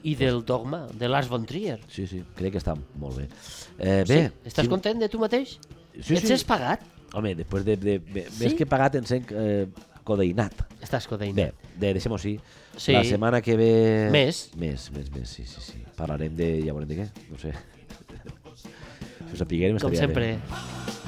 i del dogma, de Lars von Trier. Sí, sí, crec que està molt bé. Eh, bé, Sí? Estàs content de tu mateix? Sí, Ets sí. has pagat? Home, després de... de, de Sí? Més que pagat en sent eh, codeïnat. Estàs codeïna. Bé, de, deixem-ho així. Sí. La setmana que ve... Més. Més, més, més, sí, sí, sí. Parlarem de... Ja veurem de què, no sé. Si ho sapiguem Com estaria sempre. bé.